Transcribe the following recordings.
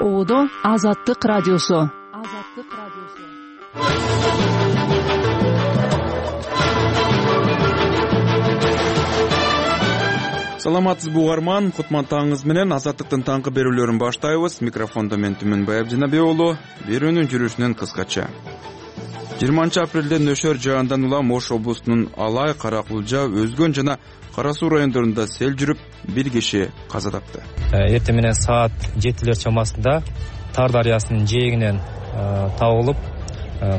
Оодо Азаттык радиосу. Саламатсызбы угарман, кутман таңыңыз менен Азаттыктын таңкы берүүлөрүн баштайбыз. Микрофондо мен Түмөнбай Абдинабек уулу. Берүүнүн жүрүшүнөн кыскача. 20 апрелде нөшөр жаандан улам Ош облусунун Алай, Каракулжа, Өзгөн жана Кара Суу райондорунда сел жүрүп, бир киши каза тапты. Эртең менен саат 7 чамасында Тар дарыясынын жээгинен табылып,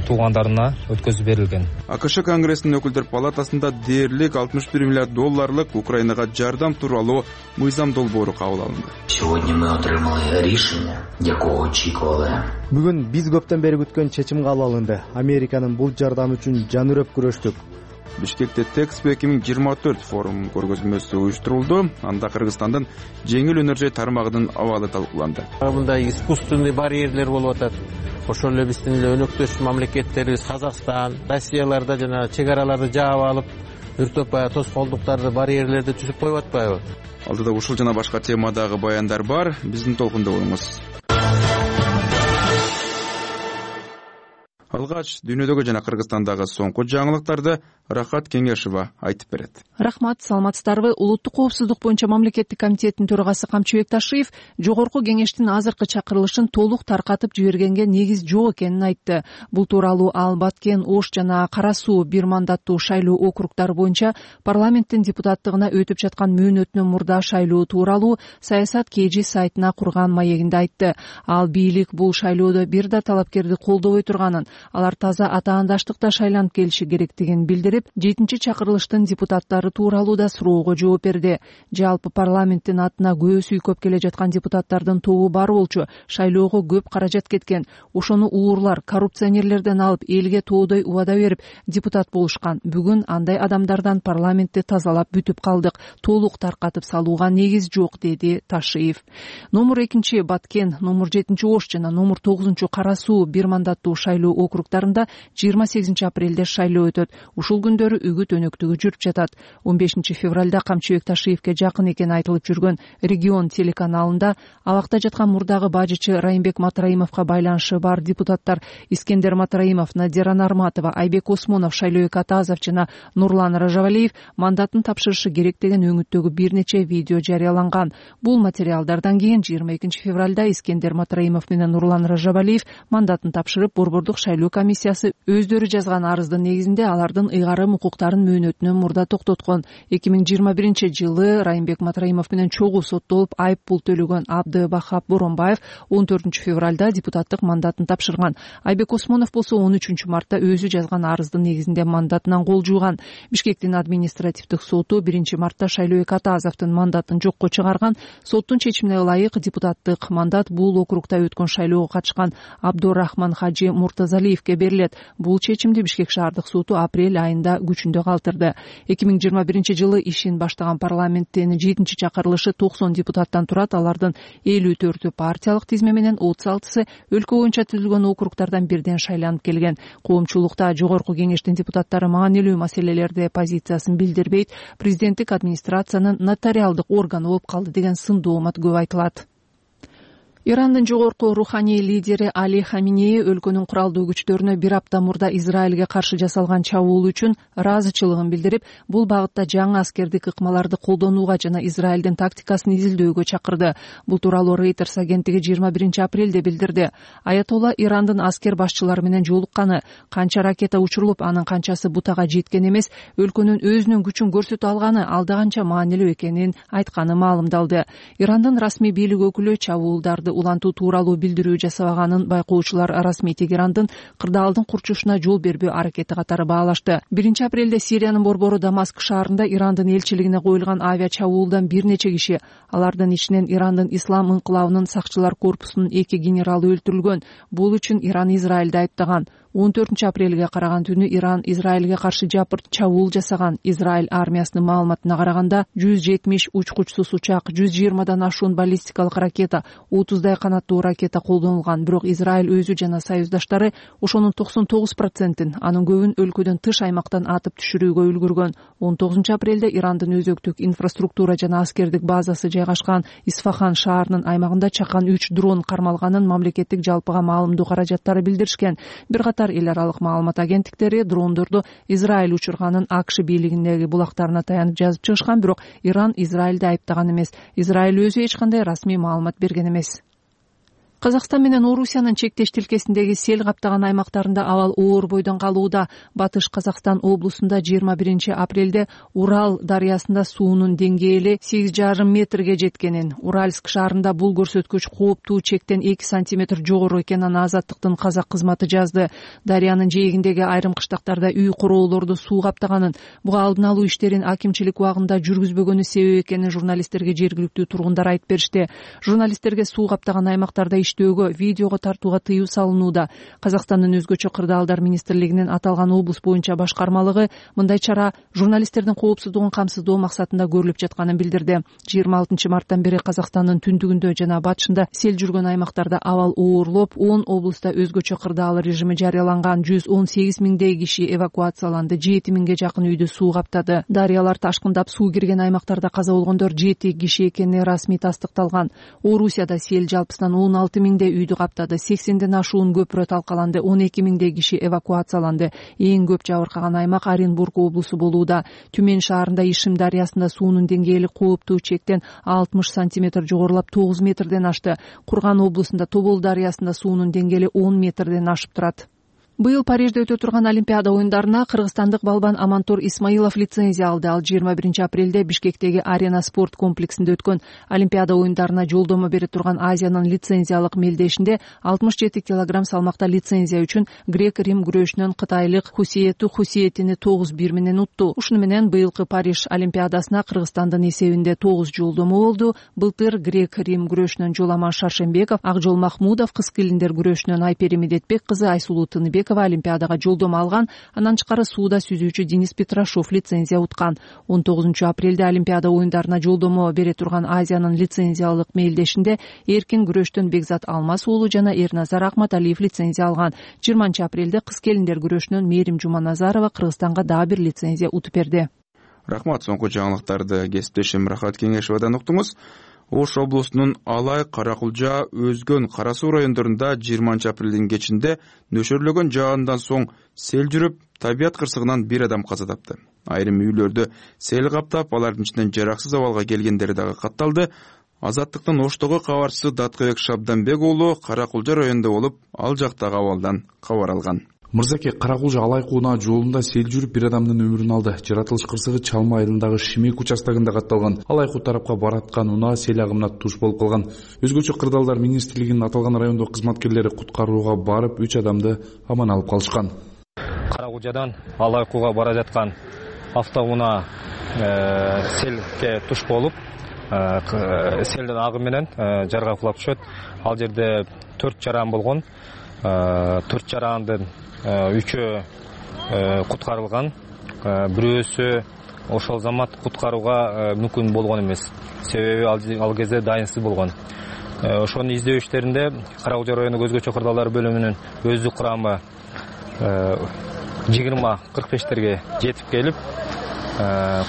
туугандарына өткөзүп берилген. АКШ Конгрессинин өкүлдөр палатасында дээрлик $61 миллиард Украинага жардам тууралуу мыйзам долбоору кабыл алынды. Сегодня мы отримали рішення, якого очікували. Бүгүн биз көптөн бери күткөн чечим кабыл алынды. Американын бул жардамы үчүн жанүрөп күрөштүк. Бишкекте Тэкспо 2024 форум көргөзмөсү уюштурулду. Анда Кыргызстандын жеңил өнөр тармагынын абалы талкууланды. Мындай искусственный барьерлер болуп атат. Ошол эле биздин өнөктөш мамлекеттерибиз Казакстан, Россияларда жана чек араларды жаап алып, үртөп тоскоолдуктарды, барьерлерди түзүп коюп атпайбы? Алдыда ушул жана башка темадагы баяндар бар. Биздин толкунда болуңуз. Алгач дүйнөдөгү жана Кыргызстандагы соңку жаңылыктарды Рахат Кеңешова айтып берет. Рахмат, саламатсыздарбы? Улуттук коопсуздук боюнча мамлекеттик комитеттин төрагасы Камчыбек Ташиев жогорку кеңештин азыркы чакырылышын толук таркатып жибергенге негиз жок экенин айтты. Бул тууралуу ал Баткен, Ош жана Кара Суу бир мандаттуу шайлоо округдары боюнча парламенттин депутаттыгына өтүп жаткан мөөнөтүнөн мурда шайлоо тууралуу Саясат KG сайтына курган маегинде айтты. Ал бийлик бул шайлоодо бир да талапкерди колдобой турганын, алар таза атаандаштыкта шайланып келиши керектигин билдирип, 7-чи чакырылыштын депутаттары тууралуу да суроого жооп берди. Жалпы парламенттин атына көз үйкөп келе жаткан депутаттардын тобу бар болчу. Шайлоого көп каражат кеткен. Ошону уурлар, коррупционерлерден алып, элге тоодой убада берип депутат болушкан. Бүгүн андай адамдардан парламентти тазалап бүтүп калдык. Толук таркатып салууга негиз жок, деди Ташиев. Номер 2 Баткен, номер 7 Ош жана номер 9 Кара Суу бир мандаттуу шайлоо округдарында 28 апрелде шайлоо өтөт. Ушул күндөрү үгүт өнөктүгү жүрүп жатат. 15 февралда Камчыбек Ташиевке жакын экени айтылып жүргөн Регион телеканалында абакта жаткан мурдагы бажычы Райымбек Матраимовго байланышы бар депутаттар Искендер Матраимов, Надира Нарматова, Айбек Осмонов, Шайлообек Атазов жана Нурлан Ражабалиев мандатын тапшырышы керек деген өңүттөгү бир нече видео жарыяланган. Бул материалдардан кийин 22 февралда Искендер Матраимов менен Нурлан Ражабалиев мандатын тапшырып, Борбордук шайлоо комиссиясы өздөрү жазган арыздын негизинде алардын ыйгарым укуктарын мөөнөтүнөн мурда токтоткон. 2021 жылы Райымбек Матраимов менен чогуу соттолуп, айып пул төлөгөн Абдыбахап Боронбаев 14 февралда депутаттык мандатын тапшырган. Айбек Осмонов болсо 13 мартта өзү жазган арыздын негизинде мандатынан кол жууган. Бишкектин административдик соту 1 мартта Шайлообек Атазовдун мандатын жокко чыгарган. Соттун чечимине ылайык депутаттык мандат бул округда өткөн шайлоого катышкан Абдурахман Хажи Муртазалиевке берилет. Бул чечимди Бишкек шаардык соту апрель айында күчүндө калтырды. 2021 жылы ишин баштаган парламенттин 7-чи чакырылышы 90 депутаттан турат. Алардын 54-ü партиялык тизме менен 36-сы өлкө боюнча түзүлгөн округдардан бирден шайланып келген. Коомчулукта жогорку кеңештин депутаттары маанилүү маселелерде позициясын билдирбейт, президенттик администрациянын нотариалдык органы болуп калды деген сын доомат көп айтылат. Ирандын жогорку руханий лидери Али Хаминеи өлкөнүн куралдуу күчтөрүнө бир апта мурда Израилге каршы жасалган чабуул үчүн ыраазычылыгын билдирип, бул багытта жаңы аскердик ыкмаларды колдонууга жана Израилдин тактикасын изилдөөгө чакырды. Бул тууралуу Reuters агенттиги 21 апрелде билдирди. Аятолла Ирандын аскер башчылары менен жолукканы, канча ракета учурулуп, анын канчасы бутага жеткен эмес, өлкөнүн өзүнүн күчүн көрсөтө алганы алда канча маанилүү экенин айтканы маалымдалды. Ирандын расмий бийлик өкүлү чабуулдарды улантуу тууралуу билдирүү жасабаганын байкоочулар расмий Тегерандын кырдаалдын курчушуна жол бербөө аракети катары баалашты. 1 апрелде Сириянын борбору Дамаск шаарында Ирандын элчилигине коюлган авиа чабуулдан бир нече киши, алардын ичинен Ирандын ислам инкылабынын сакчылар корпусунун 2 генералы өлтүрүлгөн. Бул үчүн Иран Израилди айыптаган. 14 апрелге караган түнү Иран Израилге каршы жапыр чабуул жасаган. Израиль армиясынын маалыматына караганда 170 учкучсуз учак, 120дан ашуун баллистикалык ракета, 30дай канаттуу ракета колдонулган. Бирок Израиль өзү жана союздаштары ошонун 99%, анын көбүн өлкөдөн тыш аймактан атып түшүрүүгө үлгүргөн. 19 Ирандын өзөктүк инфраструктура жана аскердик базасы жайгашкан Исфахан шаарынын аймагында чакан 3 дрон кармалганын мамлекеттик жалпыга маалымдоо каражаттары билдиришкен. Бир катар эл аралык маалымат агенттиктери дрондорду Израиль учурганын АКШ бийлигиндеги булактарына таянып жазып чыгышкан, бирок Иран Израилди айыптаган эмес. Израиль өзү эч кандай расмий маалымат берген эмес. Казакстан менен Орусиянын чектеш тилкесиндеги сел каптаган аймактарында абал оор бойдон калууда. Батыш Казакстан облусунда 21 апрелде Урал дарыясында суунун деңгээли 8,5 метрге жеткенин, Уральск шаарында бул көрсөткүч кооптуу чектен 2 сантиметр жогору экенин Азаттыктын казак кызматы жазды. Дарыянын жээгиндеги айрым кыштактарда үй куроолорду суу каптаганын, буга алдын алуу иштерин акимчилик убагында жүргүзбөгөнү себеп экенин журналисттерге жергиликтүү тургундар айтып беришти. Журналисттерге суу каптаган аймактарда видеого тартууга тыюу салынууда. Казакстандын өзгөчө кырдаалдар министрлигинин аталган облус боюнча башкармалыгы мындай чара журналисттердин коопсуздугун камсыздоо максатында көрүлүп жатканын билдирди. 26 марттан бери Казакстандын түндүгүндө жана батышында сел жүргөн аймактарда абал оорлоп, 10 облуста өзгөчө кырдаал режими жарыяланган. 118 миңдей киши эвакуацияланды. 7 миңге жакын үйдү суу каптады. Дарыялар ташкындап суу кирген аймактарда каза болгондор 7 киши экени расмий тастыкталган. Орусияда сел жалпысынан 16 миңдей үйдү каптады. 80ден ашуун көпүрө талкаланды. 12 миңдей киши эвакуацияланды. Эң көп жабыркаган аймак Оренбург облусу болууда. Түмен шаарында Ишим дарыясында суунун деңгээли кооптуу чектен 60 сантиметр жогорулап 9 метрден ашты. Курган облусунда Тобол дарыясында суунун деңгээли 10 метрден ашып турат. Быйыл Парижде өтө турган Олимпиада оюндарына кыргызстандык балбан Амантор Исмаилов лицензия алды. Ал 21 апрелде Бишкектеги Арена спорт комплексинде өткөн Олимпиада оюндарына жолдомо бере турган Азиянын лицензиялык мелдешинде 67 килограмм салмакта лицензия үчүн грек-рим күрөшүнөн кытайлык Хусиетини 9-1 менен утту. Ушуну менен быйылкы Париж Олимпиадасына Кыргызстандын эсебинде 9 жолдомо болду. Былтыр грек-рим күрөшүнөн Жоламан Шаршембеков, Акжол Махмудов, кыз келиндер күрөшүнөн Айпери Медетбек кызы Айсулуу Тыныбек Олимпиадага жолдомо алган. Анан тышкары сууда сүзүүчү Денис Петрашов лицензия уткан. 19 апрелде Олимпиада оюндарына жолдомо бере турган Азиянын лицензиялык мелдешинде эркин күрөштөн Бекзат Алмаз уулу жана Эрназар Акматалиев лицензия алган. 20 апрелде кыз келиндер күрөшүнөн Мээрим Жуманазарова Кыргызстанга дагы бир лицензия утуп берди. Рахмат. Соңку жаңылыктарды кесиптешим Рахат Кеңешовадан уктуңуз. Ош облусунун Алай, Каракулжа, Өзгөн, Кара Суу райондорунда 20 апрелдин кечинде нөшөрлөгөн жаандан соң сел жүрүп, табият кырсыгынан бир адам каза тапты. Айрым үйлөрдү сел каптап, алардын ичинен жараксыз абалга келгендери дагы катталды. Азаттыктын Оштогу кабарчысы Даткыбек Шабданбек уулу Каракулжа районунда болуп, ал жактагы абалдан кабар алган. Мырзаке, Каракулжа Алай куунаа жолунда сел жүрүп бир адамдын өмүрүн алды. Жаратылыш кырсыгы Чалма айылындагы Шимек участогунда катталган. Алай куу тарапка бараткан унаа сел агымына туш болуп калган. Өзгөчө кырдаалдар министрлигинин аталган райондогу кызматкерлери куткарууга барып 3 адамды аман алып калышкан. Каракулжадан Алай кууга бара жаткан автоунаа селге туш болуп, селдин агымы менен жарга кулап түшөт. Ал жерде 4 жаран болгон. 4 жарандын 3 куткарылган, бирөөсү ошол замат куткарууга мүмкүн болгон эмес. Себеби ал кезде дайынсыз болгон. Ошонун издөө иштеринде Каракулжа районук өзгөчө кырдаалдар бөлүмүнүн өздүк курамы 20-45терге жетип келип,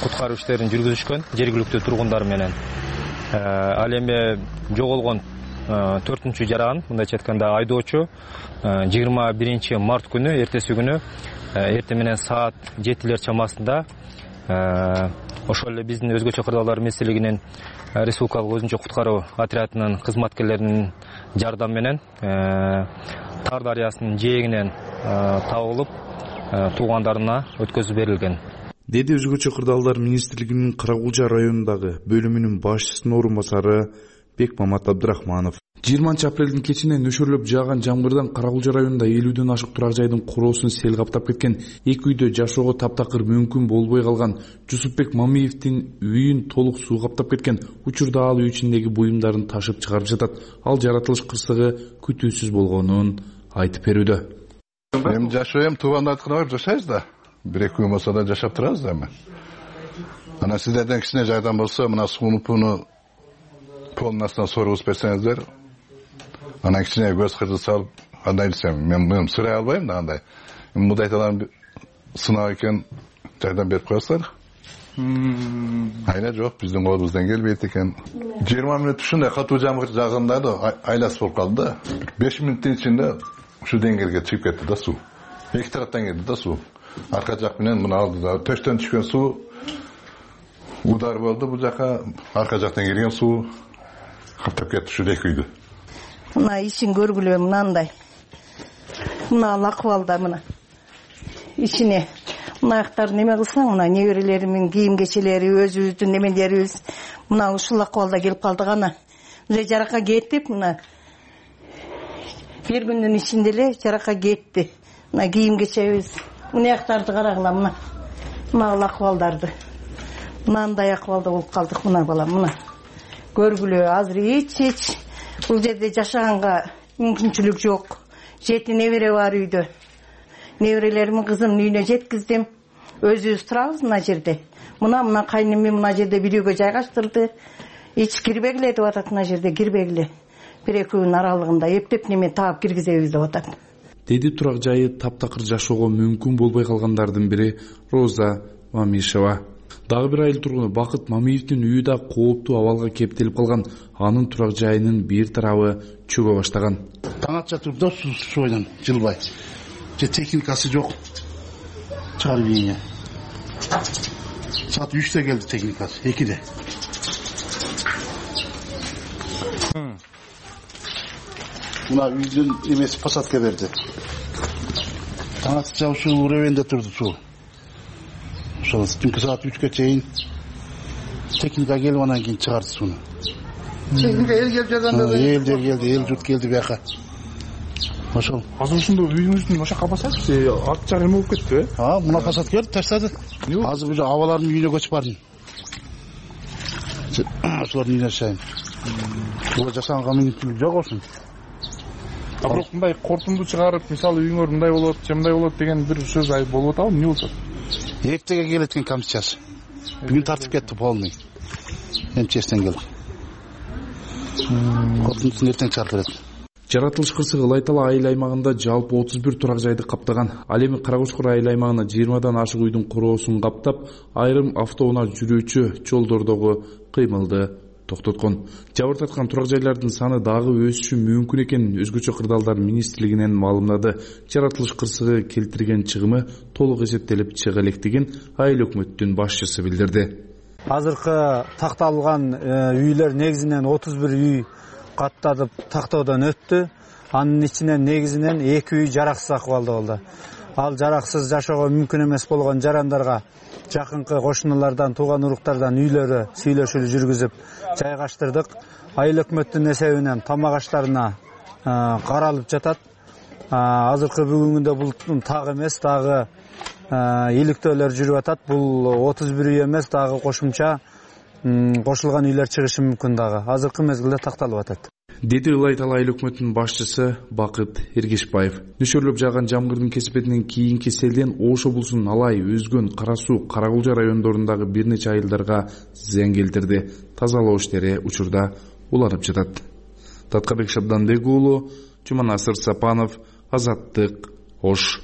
куткаруу иштерин жүргүзүшкөн жергиликтүү тургундар менен. Ал эми жоголгон 4-чү жаран, мындайча айтканда айдоочу 21 март күнү эртеси күнү эртең менен саат 7 чамасында ошол эле биздин өзгөчө кырдаалдар министрлигинин республикалык өзүнчө куткаруу отрядынын кызматкерлеринин жардамы менен Тар дарыясынын жээгинен табылып туугандарына өткөзүп берилген, деди өзгөчө кырдаалдар министрлигинин Каракулжа районундагы бөлүмүнүн башчысынын орун басары Бекмамат Абдрахманов. 20 апрелдин кечинде нөшөрлөп жааган жамгырдан Каракулжа районунда 50ден ашык турак жайдын куроосун сел каптап кеткен. 2 үйдө жашоого таптакыр мүмкүн болбой калган. Жусупбек Мамиевдин үйүн толук суу каптап кеткен. Учурда ал үй ичиндеги буюмдарын ташып чыгарып жатат. Ал жаратылыш кырсыгы күтүүсүз болгонун айтып берүүдө. Мен жашоом туугандардыкына барып жашайбыз да. 1-2 күн болсо да жашап турабыз да эми. Анан сиздерден кичине жардам болсо, мына сууну полдун астынан соргузуп берсеңиздер, анан кичине көз кырды салып, кандай десем, мен сурай албайм да андай. Мындай талан сынак экен, жардам берип коесуздар. Айла жок, биздин колубуздан келбейт экен. 20 мүнөт ушундай катуу жамгыр жааганда да айласы болуп калды да. 5 мүнөттүн ичинде ушу деңгээлге чыгып кетти да суу. Эки тараптан келди да суу. Арка жак менен мына алдыда төштөн түшкөн суу удар болду, бул жака арка жактан келген суу каптап кетти ушу эки үйдү. Мына ишин көргүлө мынандай. Мына акыбалда мына. Ичине мынаяктар неме кылсаң, мына неберелеримдин кийим кечелери, өзүбүздүн немелерибиз мына ушул акыбалда келип калдык ана. Уже жаракка кетип, мына бир күндүн ичинде эле жаракка кетти. Мына кийим кечебиз, мынаяктарды карагыла мына. Мына акыбалдарды. Мындай акыбалда болуп калдык мына балам, мына. Көргүлө, азыр эч бул жерде жашаганга мүмкүнчүлүк жок. 7 небере бар үйдө. Неберелеримдин кызымдын үйүнө жеткиздим. Өзүбүз турабыз мына жерде. Мына кайнымы мына жерде бир үйгө жайгаштырды. Эч кирбегиле деп атат мына жерде, кирбегиле. Бир-эки күн аралыгында эптеп неме таап киргизебиз деп атат. Деди турак жайы таптакыр жашоого мүмкүн болбой калгандардын бири Роза Мамишева. Дагы бир айыл тургуну Бакыт Мамиевдин үйү да кооптуу абалга кептелип калган. Анын турак жайынын бир тарабы чөгө баштаган. Таң атча турду суйдан жылбай. Техникасы жок. Чыгарып ийне. Саат 3-те келди техникасы, 2-де. Мына үйдүн эмеси посадка берди. Таң атча ушул районда турду суу. Ошол түнкү саат 3-ке чейин техника келип анан кийин чыгарды сууну. Техника эл келип жардам берди. Эл журт келди бияка. Ошол. Азыр ушундо үйүңүздүн ошакка басачы, ат жар эме болуп кетти, мына посадка келип таштады. Азыр уже абалардын үйүнө көчүп бардым. Ошолордун үйүнө жашайм. Бул жашаганга мүмкүнчүлүк жок болсун. Бирок мындай кортунду чыгарып, мисалы үйүңөр мындай болот, мындай болот деген бир сөз айып болуп атабы, эмне болот? Эптеге келет экен комиссиясы. Бүгүн тартып кетти полный. МЧСтен келди. Кортун эртең чыгарып берет. Жаратылыш кырсыгы Ылайтала айыл аймагында жалпы 31 турак жайды каптаган. Ал эми Карагучкур айыл аймагына 20дан ашык үйдүн куроосун каптап, айрым автоунаа жүрүүчү жолдордогу кыймылды токтоткон. Жабыр тарткан турак жайлардын саны дагы өсүшү мүмкүн экенин Өзгөчө кырдаалдар министрлигинен маалымдады. Жаратылыш кырсыгы келтирген чыгымы толук эсептелип чыга электигин айыл өкмөттүн башчысы билдирди. Азыркы такталган үйлөр негизинен 31 үй каттатып тактоодон өттү. Анын ичинен негизинен 2 үй жараксыз акыбалда болду. Ал жараксыз жашоого мүмкүн эмес болгон жарандарга жакынкы кошуналардан, тууган уруктардан үйлөрү сүйлөшүүлү жүргүзүп жайгаштырдык. Айыл өкмөттүн эсебинен тамак аштарына каралып жатат. Азыркы бүгүнгүндө бул так эмес, дагы иликтөөлөр жүрүп атат. Бул 31 үй эмес, дагы кошумча кошулган үйлөр чыгышы мүмкүн дагы. Азыркы мезгилде такталып атат. Деди Ылайтала айыл өкмөтүнүн башчысы Бакыт Эргешбаев. Нөшөрлөп жааган жамгырдын кесипетинен кийинки селден Ошо булсун, Алай, Өзгөн, Кара Суу, Карагулжа райондорундагы бир нече айылдарга зыян келтирди. Тазалоо иштери учурда уланып жатат. Таткабек Шабданбек уулу, Жуманасыр Сапанов, Азаттык, Ош.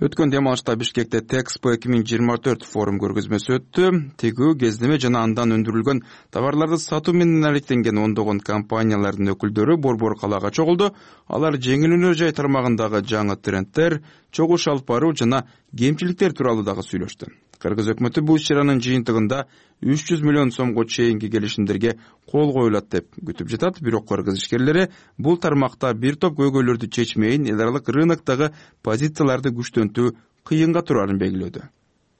Өткөн дем алышта Бишкекте Тэкспо 2024 форум көргөзмөсү өттү. Тегүү, кездеме жана андан өндүрүлгөн товарларды сатуу менен алектенген ондогон компаниялардын өкүлдөрү Борбор калаага чогулду. Алар жеңил өнөр жай тармагындагы жаңы трендтер, чогуу алып баруу жана кемчиликтер тууралуу дагы сүйлөштү. Кыргыз өкмөтү бул иш-чаранын жыйынтыгында 300 миллион сомго чейинки келишимдерге кол коюлат деп күтүп жатат. Бирок кыргыз ишкерлери бул тармакта бир топ көйгөйлөрдү чечмейин, эл аралык рыноктогу позицияларды күчтөнтүү кыйынга турарын белгилөөдө.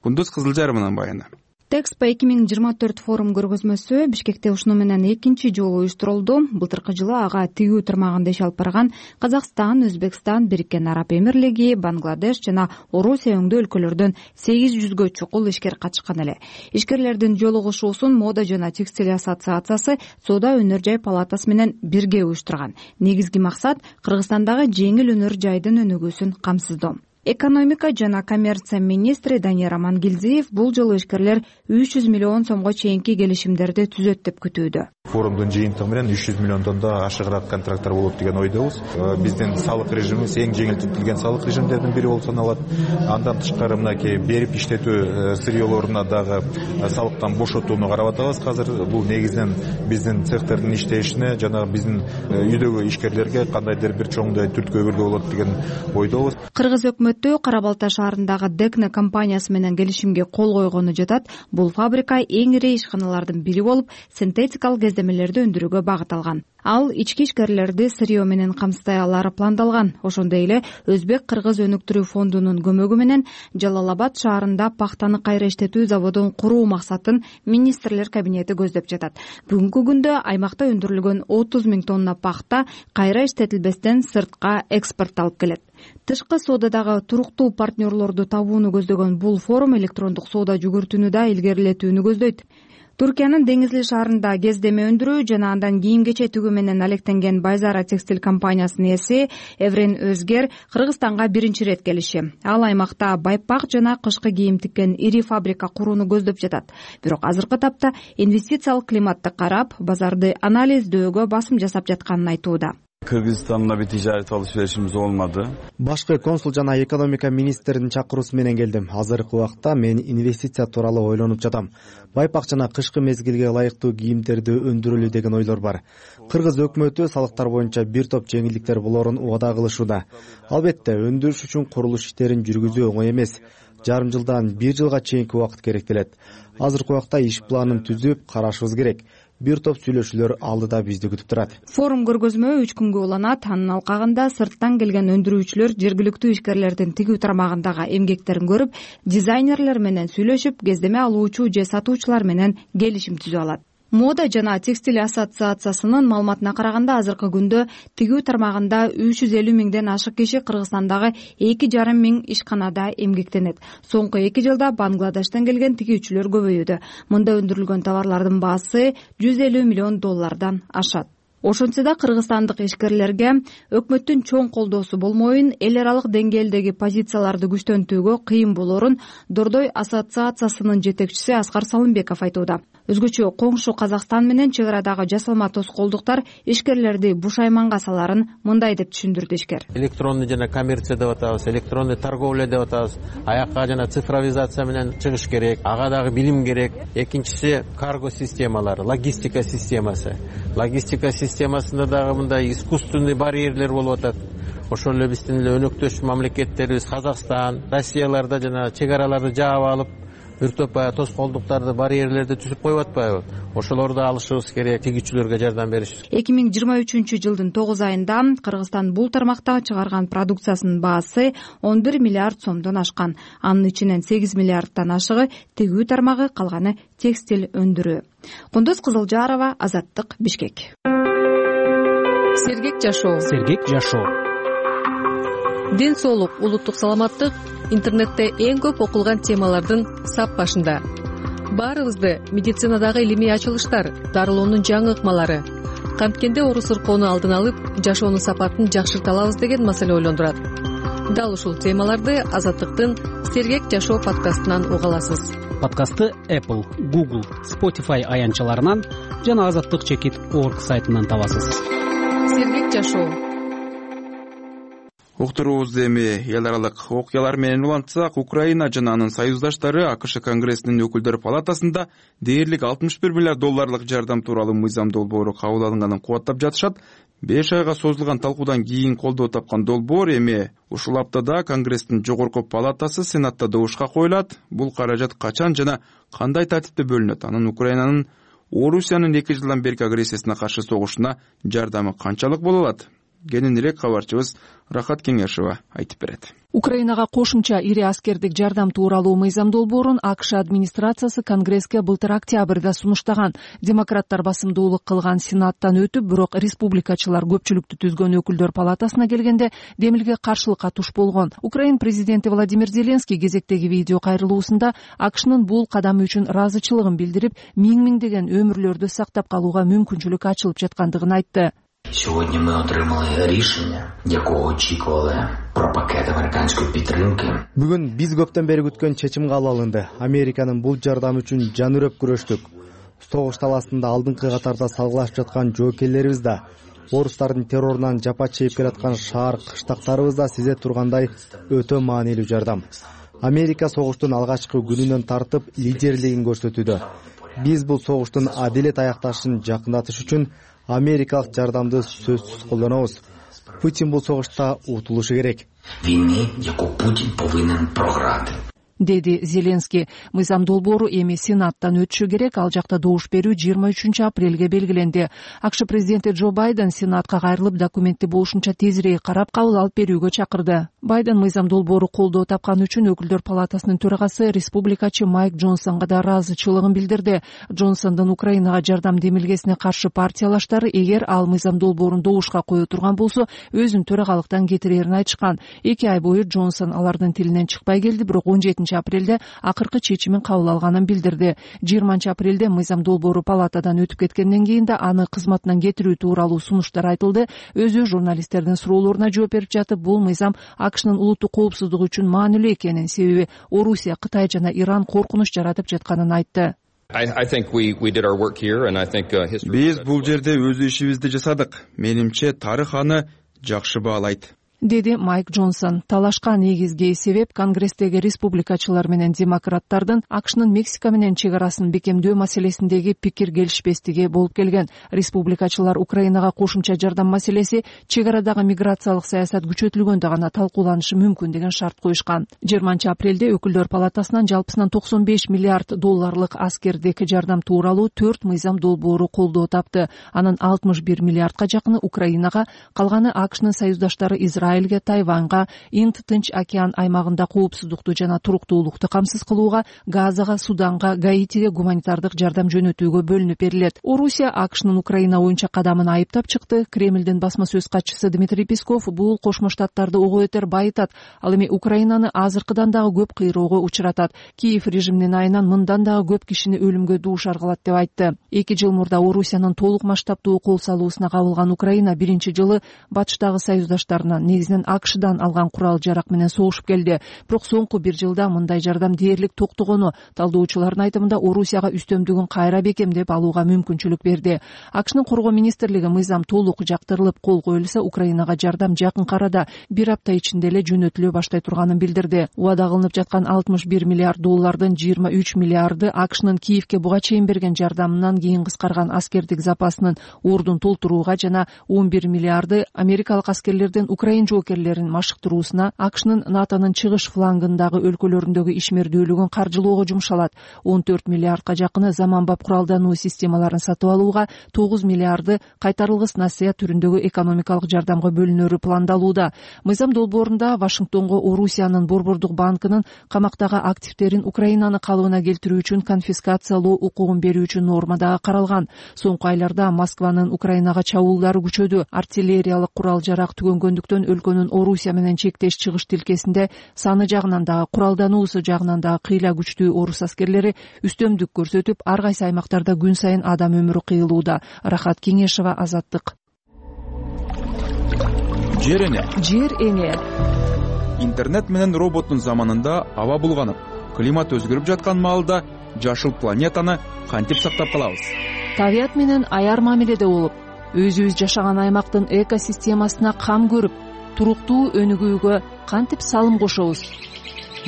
Кундуз Кызылжарымынын баяны. Тэкспо 2024 форум көргөзмөсү Бишкекте ушуну менен экинчи жолу уюштурулду. Былтыркы жылы ага тигүү тармагында иш алып барган Казакстан, Өзбекстан, Бириккен Араб Эмирлиги, Бангладеш жана Орусия өңдүү өлкөлөрдөн 800гө чукул ишкер катышкан эле. Ишкерлердин жолугушуусун Мода жана Текстиль ассоциациясы Соода өнөр жай палатасы менен бирге уюштурган. Негизги максат Кыргызстандагы жеңил өнөр жайдын өнүгүүсүн камсыздоо. Экономика жана коммерция министри Данияр Амангелдиев бул жолу ишкерлер 300 миллион сомго чейинки келишимдерди түзөт деп күтүүдө. Форумдун жыйынтыгы менен 300 миллиондон ашыгыраак контракттар болот деген ойдобуз. Биздин салык режимибиз эң жеңилдетилген салык режимдердин бири болуп саналат. Андан тышкары мынакей берип иштетүү сырьёлоруна дагы салыктан бошотууну карап атабыз. Азыр бул негизинен биздин цехтердин иштешине жана биздин үйдөгү ишкерлерге кандайдыр бир чоңдой түрткү көргө болот деген ойдобуз. Кыргыз өкмөтү Кара Балта шаарындагы Декна компаниясы менен келишимге кол койгону жатат. Бул фабрика эң ири ишканалардын бири болуп, синтетикалык кездемелерди өндүрүүгө багыт алган. Ал ички ишкерлерди сырьё менен камсыздай алары пландалган. Ошондой эле Өзбек-Кыргыз өнүктүрүү фондунун көмөгү менен Жалал-Абад шаарында пахтаны кайра иштетүү заводун куруу максатын министрлер кабинети көздөп жатат. Бүгүнкү күндө аймакта өндүрүлгөн 30 000 тонна пахта кайра иштетилбестен сыртка экспортталып келет. Тышкы соодадагы туруктуу партнерлорду табууну көздөгөн бул форум электрондук соода жүгүртүүнү да илгерилетүүнү көздөйт. Туркиянын Деңизли шаарында кездеме өндүрүү жана андан кийим-кече тигүү менен алектенген Байзара текстиль компаниясынын ээси Эврен Өзгер Кыргызстанга биринчи ирет келиши. Ал аймакта байпак жана кышкы кийим тиккен ири фабрика курууну көздөп жатат. Бирок азыркы тапта инвестициялык климатты карап, базарды анализдөөгө басым жасап жатканын айтууда. Кыргызстан'la bir ticaret alışverişimiz olmadı. Башкы консул жана экономика министринин чакыруусу менен келдим. Азыркы убакта мен инвестиция тууралуу ойлонуп жатам. Байпак жана кышкы мезгилге ылайыктуу кийимдерди өндүрөлү деген ойлор бар. Кыргыз өкмөтү салыктар боюнча бир топ жеңилдиктер болорун убада кылышууда. Албетте, өндүрүш үчүн курулуш иштерин жүргүзүү оңой эмес. Жарым жылдан 1 жылга чейинки убакыт керектелет. Азыркы убакта иш планын түзүп карашыбыз керек. Бир топ сүйлөшүүлөр алдыда бизди күтүп турат. Форум көргөзмө 3 күнгө уланат. Анын алкагында сырттан келген өндүрүүчүлөр жергиликтүү ишкерлердин тигүү тармагындагы эмгектерин көрүп, дизайнерлер менен сүйлөшүп, кездеме алуучу же сатуучулар менен келишим түзүп алат. Мода жана текстиль ассоциациясынын маалыматына караганда, азыркы күндө тигүү тармагында 350 000ден ашык киши Кыргызстандагы 2,5 мың ишканада эмгектенет. Соңку 2 жылда Бангладештен келген тигүүчүлөр көбөйүүдө. Мында өндүрүлгөн товарлардын баасы $150 миллион ашат. Ошентсе да кыргызстандык ишкерлерге өкмөттүн чоң колдоосу болмоюн, эл аралык деңгээлдеги позицияларды күчтөнтүүгө кыйын болорун Дордой ассоциациясынын жетекчиси Аскар Салымбеков айтууда. Өзгөчө коңшу Казакстан менен чек арадагы жасалма тоскоолдуктар ишкерлерди бушайманга саларын мындай деп түшүндүрдү ишкер. Электронный жана коммерция деп атабыз, электронный торговля деп атабыз. Аякка жана цифровизация менен чыгыш керек, ага дагы билим керек. Экинчиси карго системалары, логистика системасы. Логистика системасында дагы мындай искусственный барьерлер болуп атат. Ошол эле биздин эле өнөктөш мамлекеттерибиз Казакстан, Россияларда жана чек араларды жаап алып, бир топ тоскоолдуктарды, барьерлерди түзүп коюп атпайбы? Ошолорду алышыбыз керек, тигүүчүлөргө жардам бериш. 2023 жылдын 9 айында Кыргызстан бул тармакта чыгарган продукциясынын баасы 11 миллиард сомдон ашкан. Анын ичинен 8 миллиардтан ашыгы тигүү тармагы, калганы текстиль өндүрүү. Кундуз Кызылжарова, Азаттык, Бишкек. Сергек жашоо. Ден соолук, улуттук саламаттык интернетте эң көп окулган темалардын сап башында. Баарыбызды медицинадагы илимий ачылыштар, дарылоонун жаңы ыкмалары, канткенде оору сыркоону алдын алып, жашоонун сапатын жакшырта алабыз деген маселе ойлондурат. Дал ушул темаларды Азаттыктын Сергек жашоо подкастынан уга аласыз. Подкастты Apple, Google, Spotify аянтчаларынан жана azattik.org сайтынан табасыз. Сергек жашоо. Уктуруубузду эми эл аралык окуялар менен улантсак, Украина жана анын союздаштары АКШ Конгрессинин өкүлдөр палатасында дээрлик $61 миллиард жардам тууралуу мыйзам долбоору кабыл алынганын кубаттап жатышат. 5 айга созулган талкуудан кийин колдоо тапкан долбоор эми ушул аптада Конгресстин жогорку палатасы Сенатта добушка коюлат. Бул каражат качан жана кандай тартипте бөлүнөт? Анын Украинанын Орусиянын 2 жылдан берки агрессиясына каршы согушуна жардамы канчалык боло алат? Кененирээк кабарчыбыз Рахат Кеңешова айтып берет. Украинага кошумча ири аскердик жардам тууралуу мыйзам долбоорун АКШ администрациясы Конгресске былтыр октябрда сунуштаган. Демократтар басымдуулук кылган Сенаттан өтүп, бирок республикачылар көпчүлүктү түзгөн өкүлдөр палатасына келгенде демилге каршылыкка туш болгон. Украин президенти Владимир Зеленский кезектеги видео кайрылуусунда АКШнын бул кадамы үчүн ыраазычылыгын билдирип, миңдеген өмүрлөрдү сактап калууга мүмкүнчүлүк ачылып жаткандыгын айтты. Сьогодні ми отримали рішення, якого очікували про пакет американської підтримки. Бүгүн биз көптөн бери күткөн чечим кабыл алынды. Американын бул жардамы үчүн жан үрөп күрөштүк. Согуш таласында алдыңкы катарда салгылашып жаткан жоокерлерибиз да, орустардын террорунан жапа чегип келаткан шаар кыштактарыбыз да сизе тургандай өтө маанилүү жардам. Америка согуштун алгачкы күнүнөн тартып лидерлигин көрсөтүүдө. Биз бул согуштун адилет аякташын жакындатыш үчүн америкалык жардамды сөзсүз колдонобуз. Путин бул согушта утулушу керек. Війни, яку Путін повинен програти. Деди Зеленский. Мыйзам долбоору эми Сенаттан өтүшү керек. Ал жакта добуш берүү 23 апрелге белгиленди. АКШ президенти Джо Байден Сенатка кайрылып документти болушунча тезирээк карап кабыл алып берүүгө чакырды. Байден мыйзам долбоору колдоо тапкан үчүн Өкүлдөр палатасынын төрагасы республикачы Майк Джонсонго да ыраазычылыгын билдирди. Джонсондун Украинага жардам демилгесине каршы партиялаштары эгер ал мыйзам долбоорун добушка кое турган болсо, өзүн төрагалыктан кетирерин айтышкан. 2 ай бою Джонсон алардын тилинен чыкпай келди, бирок 17 апрелде акыркы чечимин кабыл алганын билдирди. 20 апрелде мыйзам долбоору палатадан өтүп кеткенден кийин да аны кызматынан кетирүү тууралуу сунуштар айтылды. Өзү журналисттердин суроолоруна жооп берип жатып, бул мыйзам АКШнын улуттук коопсуздугу үчүн маанилүү экенин, себеби Орусия, Кытай жана Иран коркунуч жаратып жатканын айтты. Биз бул жерде өз ишибизди жасадык. Менимче тарых аны жакшы баалайт, деди Майк Джонсон. Талашка негизги себеп Конгресстеги республикачылар менен демократтардын АКШнын Мексика менен чек арасын бекемдөө маселесиндеги пикир келишпестиги болуп келген. Республикачылар Украинага кошумча жардам маселеси чек арадагы миграциялык саясат күчөтүлгөндө гана талкууланышы мүмкүн деген шарт коюшкан. 20 апрелде Өкүлдөр палатасынан жалпысынан $95 миллиард аскердик жардам тууралуу 4 мыйзам долбоору колдоо тапты. Анын 61 миллиардка жакыны Украинага, калганы АКШнын союздаштары Израилге, Тайванга, Инд-Тынч океан аймагында коопсуздукту жана туруктуулукту камсыз кылууга, Газага, Суданга, Гаитиге гуманитардык жардам жөнөтүүгө бөлүнүп берилет. Орусия АКШнын Украина боюнча кадамын айыптап чыкты. Кремлдин басма сөз катчысы Дмитрий Песков бул Кошмо Штаттарды ого бетер байытат. Ал эми Украинаны азыркыдан дагы көп кыйроого учуратат. Киев режиминин айынан мындан дагы көп кишини өлүмгө дуушар кылат деп айтты. 2 жыл мурда Орусиянын толук масштабдуу кол салуусуна кабылган Украина биринчи жылы батыштагы союздаштарынан, негизинен АКШдан алган курал-жарак менен согушуп келди. Бирок соңку 1 жылда мындай жардам дээрлик токтогону талдоочулардын айтымында Орусияга үстөмдүгүн кайра бекемдеп алууга мүмкүнчүлүк берди. АКШнын коргоо министрлиги мыйзам толук жактырылып кол коюлса, Украинага жардам жакынкы арада 1 апта ичинде эле жөнөтүлө баштай турганын билдирди. Убада кылынып жаткан $61 миллиард 23 миллиарды АКШнын Киевке буга чейин берген жардамынан кийин кыскарган аскердик запасынын ордун толтурууга жана 11 миллиарды америкалык аскерлердин Украин жоокерлерин машыктыруусуна, АКШнын НАТОнун чыгыш флангындагы өлкөлөрүндөгү ишмердүүлүгүн каржылоого жумшалат. 14 миллиардка жакыны заманбап куралдануу системаларын сатып алууга, 9 миллиарды кайтарылгыс насыя түрүндөгү экономикалык жардамга бөлүнөрү пландалууда. Мыйзам долбоорунда Вашингтонго Орусиянын Борбордук банкынын камактагы активдерин Украинаны калыбына келтирүү үчүн конфискациялоо укугун берүү үчүн норма дагы каралган. Соңку айларда Москванын Украинага чабуулдары күчөдү. Артиллериялык курал-жарак түгөнгөндүктөн өлкөнүн Орусия менен чектеш чыгыш тилкесинде саны жагынан дагы, куралдануусу жагынан дагы кыйла күчтүү орус аскерлери үстөмдүк көрсөтүп, ар кайсы аймактарда күн сайын адам өмүрү кыйылууда. Рахат Кеңешева, Азаттык. Жер эне. Жер эне. Интернет менен роботтун заманында аба булганып, климат өзгөрүп жаткан маалда жашыл планетаны кантип сактап калабыз? Табият менен аяр мамиледе болуп, өзүбүз жашаган аймактын экосистемасына кам көрүп, туруктуу өнүгүүгө кантип салым кошобуз?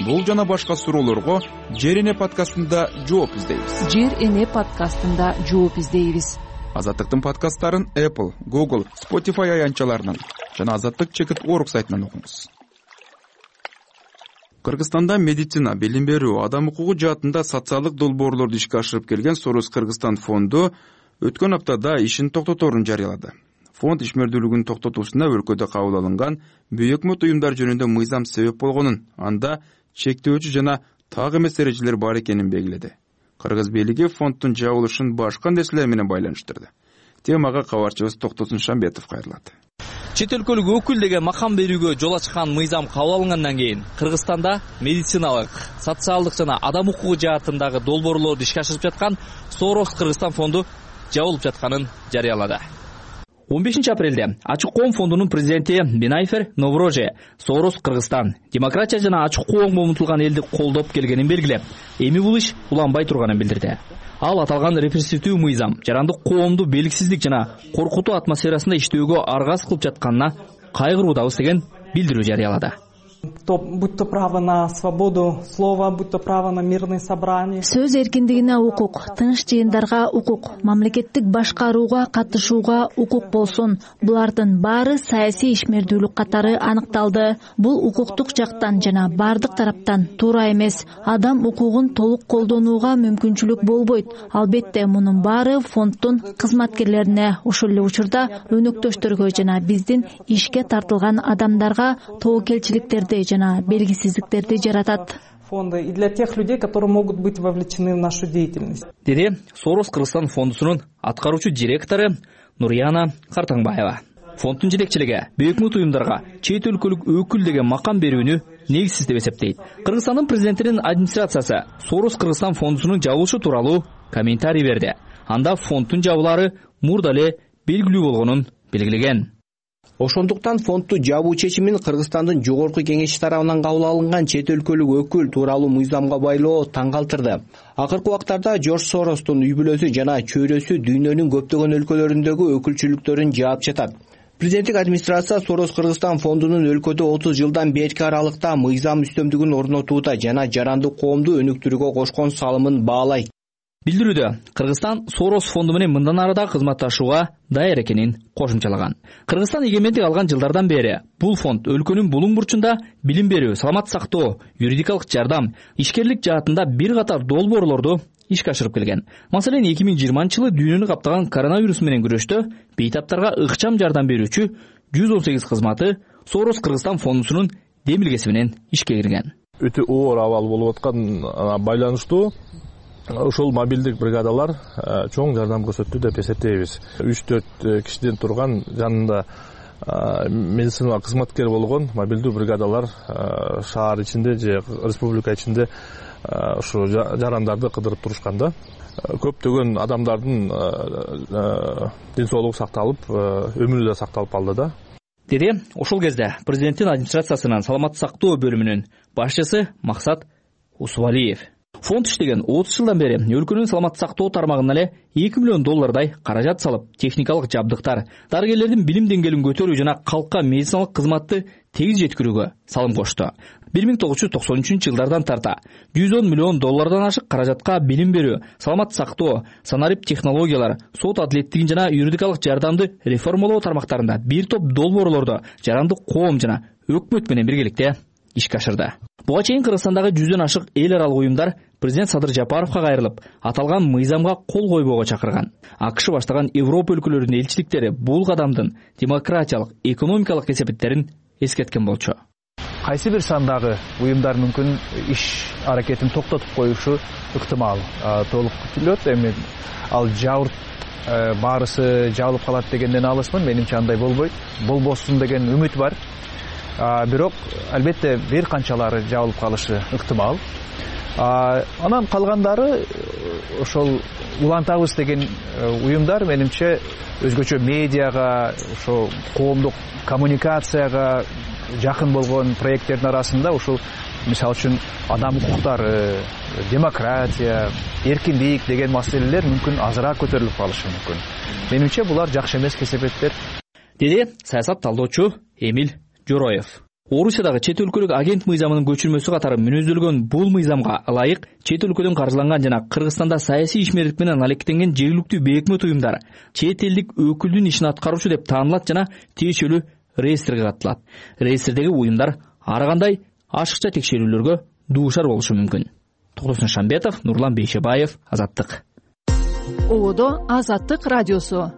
Бул жана башка суроолорго Жер эне подкастында жооп издейбиз. Жер эне подкастында жооп издейбиз. Азаттыктын подкасттарын Apple, Google, Spotify аянтчаларынан жана azattik.org сайтынан окуңуз. Кыргызстанда медицина, билим берүү, адам укугу жаатында социалдык долбоорлорду ишке ашырып келген Сорос Кыргызстан фонду өткөн аптада ишин токтоторун жарыялады. Фонд ишмердүүлүгүн токтотуусуна өлкөдө кабыл алынган бейөкмөт уюмдар жөнүндө мыйзам себеп болгонун, анда чектөөчү жана так эмес эрежелер бар экенин белгиледи. Кыргыз бийлиги фонддун жабылышын башка нерселер менен байланыштырды. Темага кабарчыбыз Токтосун Шамбетов кайрылат. Чет өлкөлүк өкүл деген макам берүүгө жол ачкан мыйзам кабыл алынгандан кийин Кыргызстанда медициналык, социалдык жана адам укугу жаатындагы долбоорлорду ишке ашырып жаткан Сорос Кыргызстан фонду жабылып жатканын жарыялады. 15 апрелде Ачык коом фондунун президенти Бинайфер Новроже Сорос Кыргызстан демократия жана ачык коомго умтулган элди колдоп келгенин белгилеп, эми бул иш уланбай турганын билдирди. Ал аталган репрессивдүү мыйзам жарандык коомду белгисиздик жана коркутуу атмосферасында иштөөгө аргасыз кылып жатканына кайгыруудабыз деген билдирүү жарыялады. Будь то право на свободу слова, будь то право на мирные собрания. Сөз эркиндигине укук, тыныч жыйындарга укук, мамлекеттик башкарууга катышууга укук болсун. Булардын баары саясий ишмердүүлүк катары аныкталды. Бул укуктук жактан жана бардык тараптан туура эмес. Адам укугун толук колдонууга мүмкүнчүлүк болбойт. Албетте мунун баары фонддун кызматкерлерине, ошол эле учурда өнөктөштөргө жана биздин ишке тартылган адамдарга тобокелчиликтерди жана белгисиздиктерди жаратат. Фонды и для тех людей, которые могут быть вовлечены в нашу деятельность. Деди Сорос Кыргызстан фондусунун аткаруучу директору Нурияна Картаңбаева. Фонддун жетекчилиги өкмөт уюмдарга чет өлкөлүк өкүл деген макам берүүнү негизсиз деп эсептейт. Кыргызстандын президентинин администрациясы Сорос Кыргызстан фондусунун жабылышы тууралуу комментарий берди. Анда фонддун жабылаары мурда эле белгилүү болгонун белгилеген. Ошондуктан фондду жабуу чечимин Кыргызстандын жогорку кеңеши тарабынан кабыл алынган чет өлкөлүк өкүл тууралуу мыйзамга байлоо таң калтырды. Акыркы убактарда Жорж Соростун үй бүлөсү жана чөйрөсү дүйнөнүн көптөгөн өлкөлөрүндөгү өкүлчүлүктөрүн жаап жатат. Президенттик администрация Сорос Кыргызстан фондунун өлкөдө 30 жылдан берки аралыкта мыйзам үстөмдүгүн орнотууда жана жарандык коомду өнүктүрүүгө кошкон салымын баалайт. Билдирүүдө Кыргызстан Сорос фонду менен мындан ары да кызматташууга даяр экенин кошумчалаган. Кыргызстан эгемендик алган жылдардан бери бул фонд өлкөнүн булуң бурчунда билим берүү, саламат сактоо, юридикалык жардам, ишкерлик жаатында бир катар долбоорлорду ишке ашырып келген. Маселен 2020-жылы дүйнөнү каптаган коронавирус менен күрөштө бейтаптарга ыкчам жардам берүүчү 118 кызматы Сорос Кыргызстан фондусунун демилгеси менен ишке кирген. Өтө оор абал болуп аткан байланыштуу ошол мобилдик бригадалар чоң жардам көрсөттү деп эсептейбиз. 3-4 кишиден турган жанында медициналык кызматкер болгон мобилдүү бригадалар шаар ичинде же республика ичинде ушу жарандарды кыдырып турушканда көптөгөн адамдардын ден соолугу сакталып, өмүрү да сакталып калды да. Деди ошол кезде президенттин администрациясынын саламат сактоо бөлүмүнүн башчысы Максат Усубалиев. Фонд иштеген 30 жылдан бери өлкөнүн саламат сактоо тармагына эле $2 миллион каражат салып, техникалык жабдыктар, дарыгерлердин билим деңгээлин көтөрүү жана калкка медициналык кызматты тегиз жеткирүүгө салым кошту. 1993-жылдардан тарта $110 миллион ашык каражатка билим берүү, саламат сактоо, санарип технологиялар, сот адилеттигин жана юридикалык жардамды реформалоо тармактарында бир топ долбоорлорду жарандык коом жана өкмөт менен биргеликте ишке ашырды. Буга чейин Кыргызстандагы 100дөн ашык эл аралык уюмдар президент Садыр Жапаровго кайрылып, аталган мыйзамга кол койбоого чакырган. АКШ баштаган Европа өлкөлөрүнүн элчиликтери бул кадамдын демократиялык, экономикалык кесепеттерин эскерткен болчу. Кайсы бир сандагы уюмдар мүмкүн иш аракетин токтотуп коюшу ыктымал. Толук күтүлөт. Эми ал жабырт баарысы жабылып калат дегенден алысмын. Менимче андай болбойт. Болбосун деген үмүт бар. Бирок албетте бир канчалары жабылып калышы ыктымал. Анан калгандары ошол улантабыз деген уюмдар менимче өзгөчө медиага, ошо коомдук коммуникацияга жакын болгон проекттердин арасында ушул мисалы үчүн адам укуктары, демократия, эркиндик деген маселелер мүмкүн азыраак көтөрүлүп калышы мүмкүн. Менимче булар жакшы эмес кесепеттер. Деди саясат талдоочу Эмил Жороев. Орусиядагы чет өлкөлүк агент мыйзамынын көчүрмөсү катары мүнөздөлгөн бул мыйзамга ылайык чет өлкөдөн каржыланган жана Кыргызстанда саясий ишмерлик менен алектенген жергиликтүү бейөкмөт уюмдар чет элдик өкүлдүн ишин аткаруучу деп таанылат жана тиешелүү реестрге катталат. Реестрдеги уюмдар ар кандай ашыкча текшерүүлөргө дуушар болушу мүмкүн. Токтосун Шамбетов, Нурлан Бейшебаев, Азаттык. Ободо Азаттык радиосу.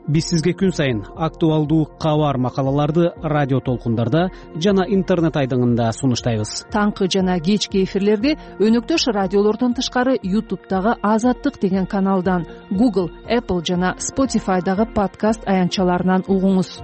Биз сизге күн сайын актуалдуу кабар макалаларды радио толкундарда жана интернет айдыңында сунуштайбыз. Таңкы жана кечки эфирлерди өнөктөш радиолордон тышкары YouTube'дагы Азаттык деген каналдан, Google, Apple жана Spotify'дагы подкаст аянтчаларынан угуңуз.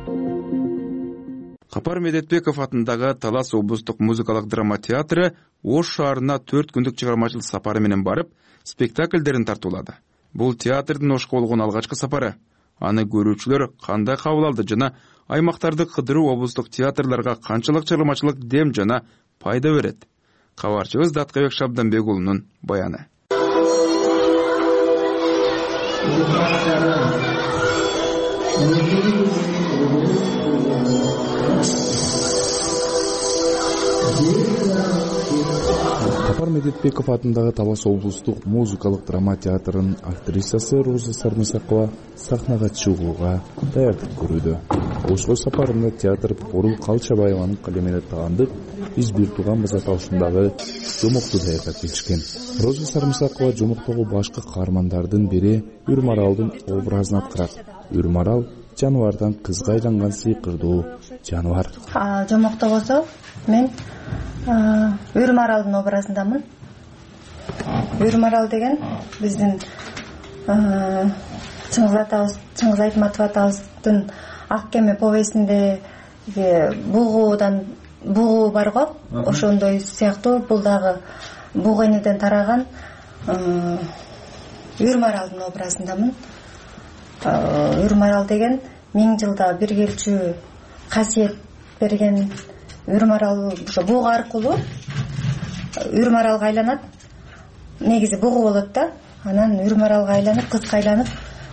Капар Медетбеков атындагы Талас облустук музыкалык драма театры Ош шаарына 4 күндүк чыгармачылык сапары менен барып, спектакльдерин тартуулады. Бул театрдын Ошко болгон алгачкы сапары. аны көрүүчүлөр кандай кабыл алды жана аймактарды кыдыруу облустук театрларга канчалык чыгармачылык дем жана пайда берет? Кабарчыбыз Даткабек Шабданбек уулунун баяны. Сапар Медетбеков атындагы Талас облустук музыкалык драма театрынын актрисасы Роза Сармысакова сахнага чыгууга даярдык көрүүдө. Ошол сапарында театр Борул Калчабаеванын калемине таандык биз бир тууган база таушындагы жомокту даярдап келишкен. Роза Сармысакова жомоктогу башкы каармандардын бири Үрмаралдын образын аткарат. Үрмарал жаныбардан кызга айланган сыйкырдуу жаныбар. Жомокто болсо мен Үрмаралдын образындамын. Үрмарал деген биздин Чыңгыз Айтматов атабыздын Ак кеме повестинде бугу бар го, ошондой сыяктуу бул дагы бугу энеден тараган Үрмаралдын образындамын. Үрмарал деген 1000 жылда бир келчү касиет берген Үрмарал ошо бугу аркылуу Үрмаралга айланат. Негизи бугу болот да, анан Үрмаралга айланып, кызга айланып,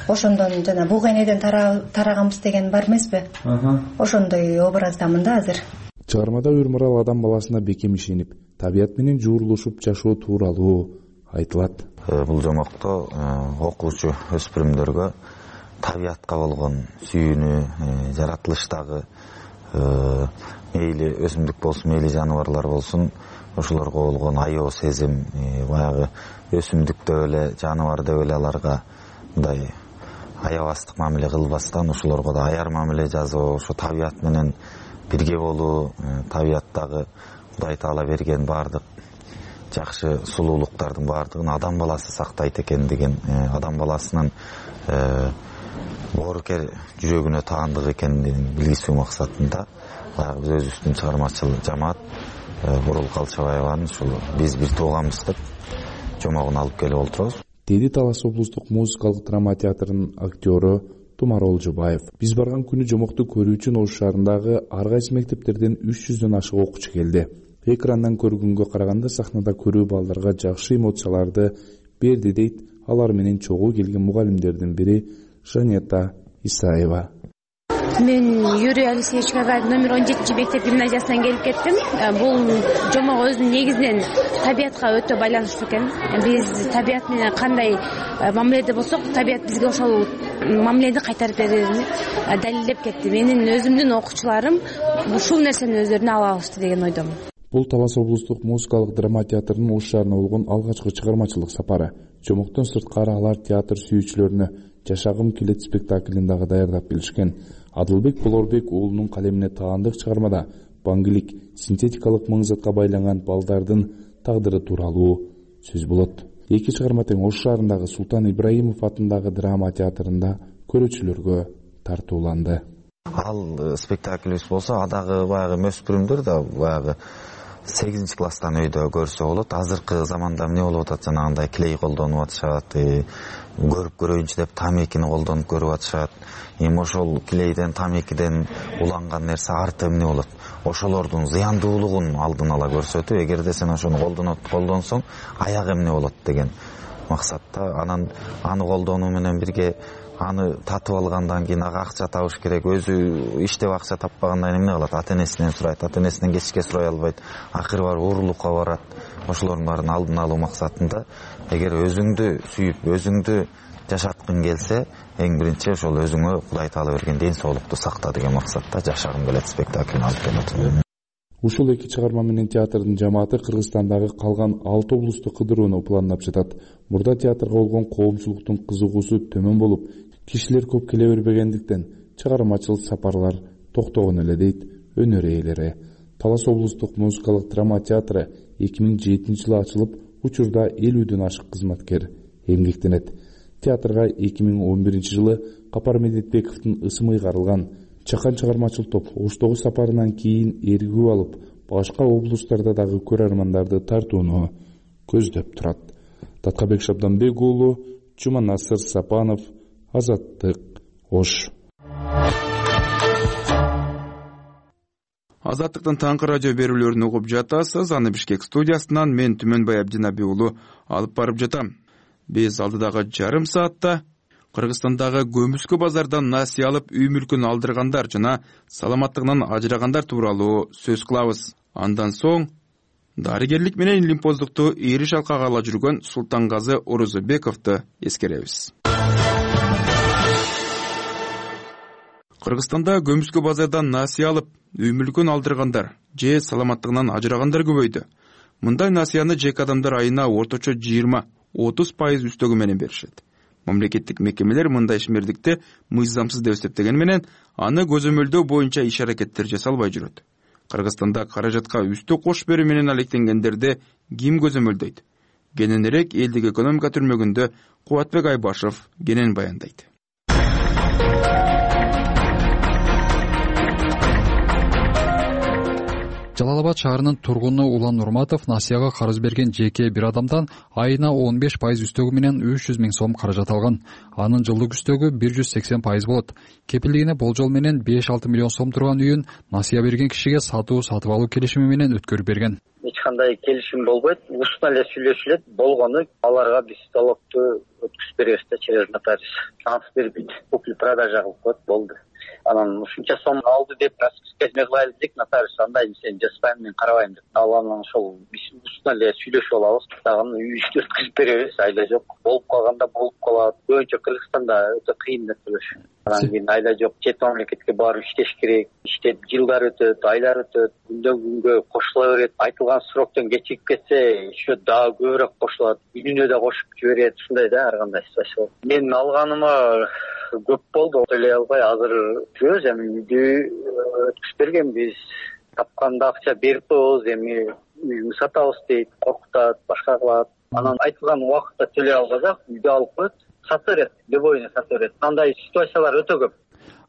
ошондон жана бугу энеден тараганбыз деген бар эмеспи? Ошондой образдамын да азыр. Чыгармада Үрмарал адам баласына бекем ишенип, табият менен жуурулушуп жашоо тууралуу айтылат. Бул жомокто окуучу өспүрүмдөргө табиятка болгон сүйүүнү, жаратылыштагы мейли өсүмдүк болсун, мейли жаныбарлар болсун, ошолорго болгон аябоо сезим, баягы өсүмдүктө эле, жаныбарда эле аларга мындай аябастык мамиле кылбастан, ошолорго да аяр мамиле жасоо, ошо табият менен бирге болуу, табияттагы Кудай Таала берген баардык жакшы сулуулуктардын баардыгын адам баласы сактайт экендигин, адам баласынын боорукер жүрөгүнө таандык экендигин билгизүү максатында баягы биз өзүбүздүн чыгармачыл жамаат Борул Калчабаеванын ушул биз бир тууганбыз деп жомогун алып келип олтурабыз. Деди Талас облустук музыкалык драма театрынын актёру Тумар Олжубаев. Биз барган күнү жомокту көрүү үчүн Ош шаарындагы ар кайсы мектептерден 300дөн ашык окуучу келди. Экрандан көргөнгө караганда сахнада көрүү балдарга жакшы эмоцияларды берди дейт алар менен чогуу келген мугалимдердин бири Жанета Исаева. Мен Юрий Алексеевич Гагарин номер 17 мектеп гимназиясынан келип кеттим. Бул жомок өзүнүн негизинен табиятка өтө байланыштуу экен. Биз табият менен кандай мамиледе болсок, табият бизге ошол мамилени кайтарып берерин далилдеп кетти. Менин өзүмдүн окуучуларым ушул нерсени өздөрүнө ала алышты деген ойдомун. Бул Талас облустук музыкалык драма театрынын Ош шаарына болгон алгачкы чыгармачылык сапары. Жомоктон сырткары алар театр сүйүүчүлөрүнө Жашагым келет спектаклин дагы даярдап келишкен. Адылбек Болорбек уулунун калемине таандык чыгармада баңгилик, синтетикалык маңзатка байланган балдардын тагдыры тууралуу сөз болот. Эки чыгарма тең Ош шаарындагы Султан Ибраимов атындагы драма театрында көрүүчүлөргө тартууланды. Ал спектаклибиз болсо, адагы баягы өспүрүмдөр да баягы 8 класстан өйдө көрсө болот. Азыркы заманда эмне болуп атат, жанагындай клей колдонуп атышат, көрүп көрөйүнчү деп тамекини колдонуп көрүп атышат. Эми ошол клейден, тамекиден уланган нерсе арты эмне болот? Ошолордун зыяндуулугун алдын ала көрсөтүү, эгерде сен ошону колдонсоң, аягы эмне болот деген максатта. Анан аны колдонуу менен бирге аны татып алгандан кийин ага акча табыш керек. Өзү иштеп акча таппагандан эмне кылат? Ата-энесинен сурайт, ата-энесинен кечке сурай албайт. Акыры барып уурулукка барат. Ошолордун баарын алдын алуу максатында эгер өзүңдү сүйүп, өзүңдү жашаткың келсе, эң биринчи ошол өзүңө Кудай Таала берген ден соолукту сакта деген максатта Жашагым келет спектаклин алып келет. Ушул эки чыгарма менен театрдын жамааты Кыргызстандагы калган 6 облусту кыдырууну пландап жатат. Мурда театрга болгон коомчулуктун кызыгуусу төмөн болуп, кишилер көп келе бербегендиктен чыгармачыл сапарлар токтогон эле дейт өнөр ээлери. Талас облустук музыкалык драма театры 2007-жылы ачылып, учурда 50дөн ашык кызматкер эмгектенет. Театрга 2011-жылы Капар Медетбековдун ысымы ыйгарылган Чакан чыгармачыл топ Оштогу сапарынан кийин эргүү алып, башка облустарда дагы көрөрмандарды тартууну көздөп турат. Даткабек Шабданбек уулу, Жуманасыр Сапанов, Азаттык, Ош. Азаттыктын таңкы радио берүүлөрүн угуп жатасыз. Аны Бишкек студиясынан мен Түмөнбай Абдинабек уулу алып барып жатам. Биз алдыдагы жарым саатта Кыргызстандагы көмүскө базардан насыя алып үй мүлкүн алдыргандар жана саламаттыгынан ажырагандар тууралуу сөз кылабыз. Андан соң дарыгерлик менен илимпоздукту ийри шалкага ала жүргөн Султангазы Орозбековду эскеребиз. Кыргызстанда көмүскө базардан насыя алып үй мүлкүн алдыргандар же саламаттыгынан ажырагандар көбөйдү. Мындай насыяны жеке адамдар айына орточо 20-30% үстөгү менен беришет. Мамлекеттик мекемелер мындай ишмердикти мыйзамсыз деп эсептеген менен аны көзөмөлдөө боюнча иш-аракеттер жасалбай жүрөт. Кыргызстанда каражатка үстө кош берүү менен алектенгендерди ким көзөмөлдөйт? Кененирээк элдик экономика түрмөгүндө Кубатбек Айбашев кенен баяндайт. Жалал Абад шаарынын тургуну Улан Нурматов насыяга карыз берген жеке бир адамдан айына 15% үстөгү менен 300 000 сом каражат алган. Анын жылдык үстөгү 180% болот. Кепилдигине болжол менен 5-6 миллион сом турган үйүн насыя берген кишиге сатып алуу келишими менен өткөрүп берген. Эч кандай келишим болбойт, устно эле сүйлөшүлөт. Болгону аларга биз залогду өткүзүп беребиз да через нотариус. Ансыз берип купли-продажа кылып коет, болду. Анан ушунча сом алды деп расписка кылайлы дедик, нотариус андай сен жаспайм, мен карабайм деп. Анан ошол биз устно эле сүйлөшүп алабыз, дагы үйүбүздү өткүзүп беребиз, айла жок. Болуп калганда болуп калат. Көбүнчө Кыргызстанда өтө кыйын нерселер. Анан кийин айла жок, чет мамлекетке барып иштеш керек. Иштеп жылдар өтөт, айлар өтөт, күндөн күнгө кошула берет. Айтылган сроктон кечигип кетсе, еще дагы көбүрөөк кошулат. Үйүнө да кошуп жиберет. Ушундай да ар кандай ситуация. Мен алганыма көп болду, төлөй албай азыр жүрөбүз. Эми үйдү өткүзүп бергенбиз. Тапканда акча берип коебуз, эми үйүңдү сатабыз дейт, коркутат, башка кылат. Анан айтылган убакытта төлөй албасак, үйдү алып коет, сата берет, любойуна сата берет. Андай ситуациялар өтө көп.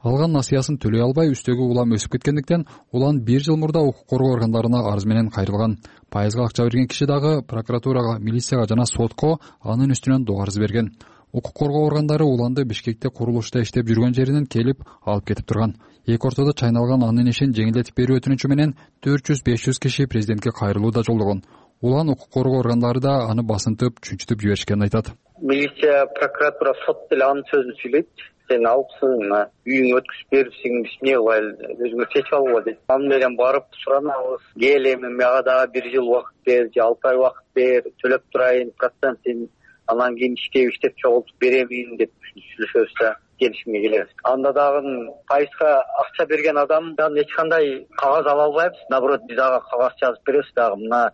Алган насыясын төлөй албай үстөгү улам өсүп кеткендиктен улан 1 жыл мурда укук коргоо органдарына арыз менен кайрылган. Пайызга акча берген киши дагы прокуратурага, милицияга жана сотко анын үстүнөн доо арыз берген. Укук коргоо органдары уланды Бишкекте курулушта иштеп жүргөн жеринен келип алып кетип турган. Эки ортодо чайналган анын ишин жеңилдетип берүү өтүнүчү менен 400-500 киши президентке кайрылуу да жолдогон. Улан укук коргоо органдары да аны басынтып, чүнчүтүп жиберишкенин айтат. Милиция, прокуратура, сот деле анын сөзүн сүйлөйт. Сен алыпсың, үйүңө өткүзүп берипсиң, биз эмне кылайлы, өзүңөр чечип алгыла дейт. Аны менен барып суранабыз. Кел эми мага дагы 1 жыл убакыт бер, же 6 ай убакыт бер, төлөп турайын, процентин, анан кийин иштеп чогултуп беремин деп сүйлөшөбүз да келишимге келебиз. Анда дагы пайызга акча берген адамдан эч кандай кагаз ала албайбыз. Наоборот, биз ага кагаз жазып беребиз дагы. Мына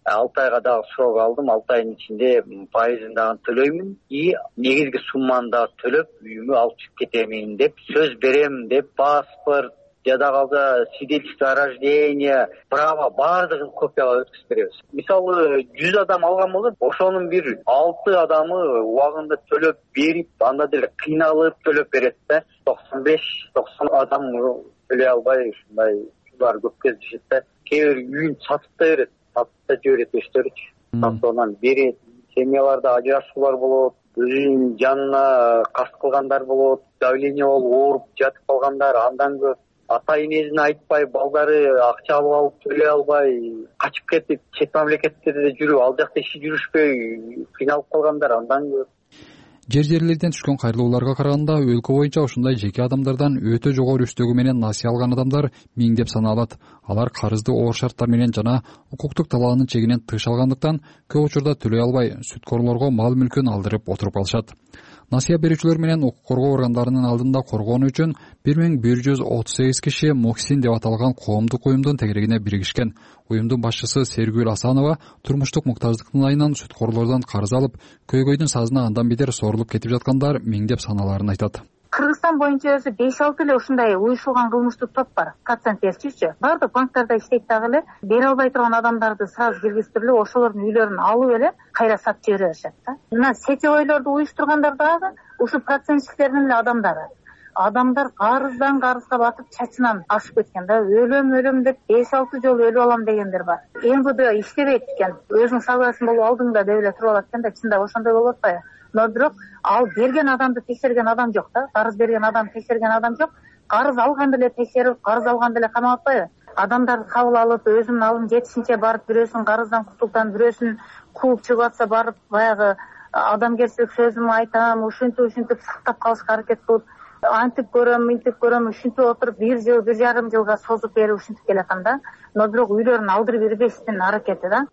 6 айга дагы срок алдым, 6 айдын ичинде пайызын дагы төлөймүн и негизги сумманы дагы төлөп үйүмө алып чыгып кетемин деп сөз берем деп паспорт, жада калса свидетельство о рождении, право баардыгын копиялап өткүзүп беребиз. Мисалы 100 адам алган болсо, ошонун бир 6 адамы убагында төлөп берип, анда деле кыйналып төлөп берет да. 95-90 адам төлөй албай ушундай ушулар көп кездешет да. Кээ бир үйүн сатып да берет, сатып да жиберет өздөрүчү. Сатып берет. Семьяларда ажырашуулар болот, өзүнүн жанына каст кылгандар болот, давление болуп ооруп жатып калгандар, андан көп ата энесине айтпай, балдары акча алып төлөй албай, качып кетип, чет мамлекеттерде жүрүп, ал жакта иши жүрүшпөй кыйналып калгандар андан көп. Жер-жерлерден түшкөн кайрылууларга караганда өлкө боюнча ушундай жеке адамдардан өтө жогору үстөгү менен насыя алган адамдар миңдеп саналат. Алар карызды оор шарттар менен жана укуктук талаанын чегинен тыш алгандыктан көп учурда төлөй албай, сүткорлорго мал мүлкүн алдырып отуруп калышат. Насыя берүүчүлөр менен укук коргоо органдарынын алдында коргоону үчүн 1138 киши Моксин деп аталган коомдук уюмдун тегерегине биригишкен. Уюмдун башчысы Сергүл Асанова турмуштук муктаждыктын айынан сүткорлордон карыз алып, көйгөйдүн сазына андан бетер сорулуп кетип жаткандар миңдеп саналарын айтат. Кыргызстан боюнча өзү 5-6 эле ушундай уюшулган кылмыштык топ бар. Процент берчүчү. Бардык банктарда иштейт дагы эле, бере албай турган адамдарды сразу киргизтирип, ошолордун үйлөрүн алып эле кайра сатып жибере беришет да. Мына сетевойлорду уюштургандар дагы ушу процентчиктердин эле адамдары. Адамдар карыздан карызга батып чачынан ашып кеткен да. Өлөм деп 5-6 жолу өлүп алам дегендер бар. МВД иштебейт экен. Өзүң согласен болуп алдың да деп эле туруп алат экен да, чындап ошондой болуп атпайбы? но бирок ал берген адамды текшерген адам жок да, карыз берген адамды текшерген адам жок. Карыз алган деле текшерип, карыз алган деле камап атпайбы? Адамдарды кабыл алып, өзүнүн алым жетишинче барып, бирөөсүн карыздан кутултан, бирөөсүн кууп чыгып атса барып, баягы адамгерчилик сөзүмдү айтам, ушинтип сактап калышка аракет кылып, антип көрөм, мынтип көрөм, ушинтип отуруп 1 жыл, 1,5 жылга созуп берип ушинтип келатам да. Но бирок үйлөрүн алдырып бербештин аракети да.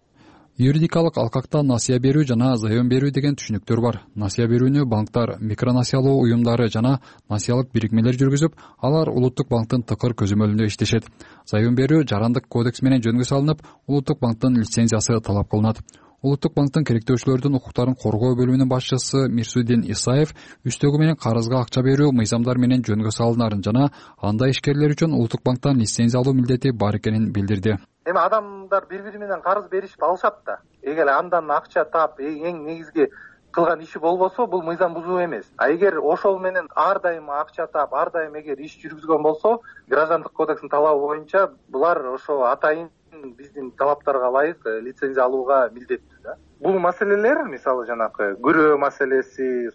Юридикалык алкакта насыя берүү жана заем берүү деген түшүнүктөр бар. Насыя берүүнү банктар, микронасыялоо уюмдары жана насыялык бирикмелер жүргүзүп, алар улуттук банктын тыкыр көзөмөлүндө иштешет. Заем берүү жарандык кодекс менен жөнгө салынып, улуттук банктын лицензиясы талап кылынат. Улуттук банктын керектөөчүлөрдүн укуктарын коргоо бөлүмүнүн башчысы Мирсудин Исаев үстөгү менен карызга акча берүү мыйзамдар менен жөнгө салынарын жана анда ишкерлер үчүн улуттук банктан лицензия алуу милдети бар экенин билдирди. Эми адамдар бири-бири менен карыз беришип алышат да. Эгер андан акча таап, эң негизги кылган иши болбосо, бул мыйзам бузуу эмес. А эгер ошол менен ар дайым акча таап, ар дайым эгер иш жүргүзгөн болсо, граждандык кодекстин талабы боюнча булар ошо атайын биздин талаптарга ылайык лицензия алууга милдеттүү да. Бул маселелер, мисалы жанакы күрөө маселеси,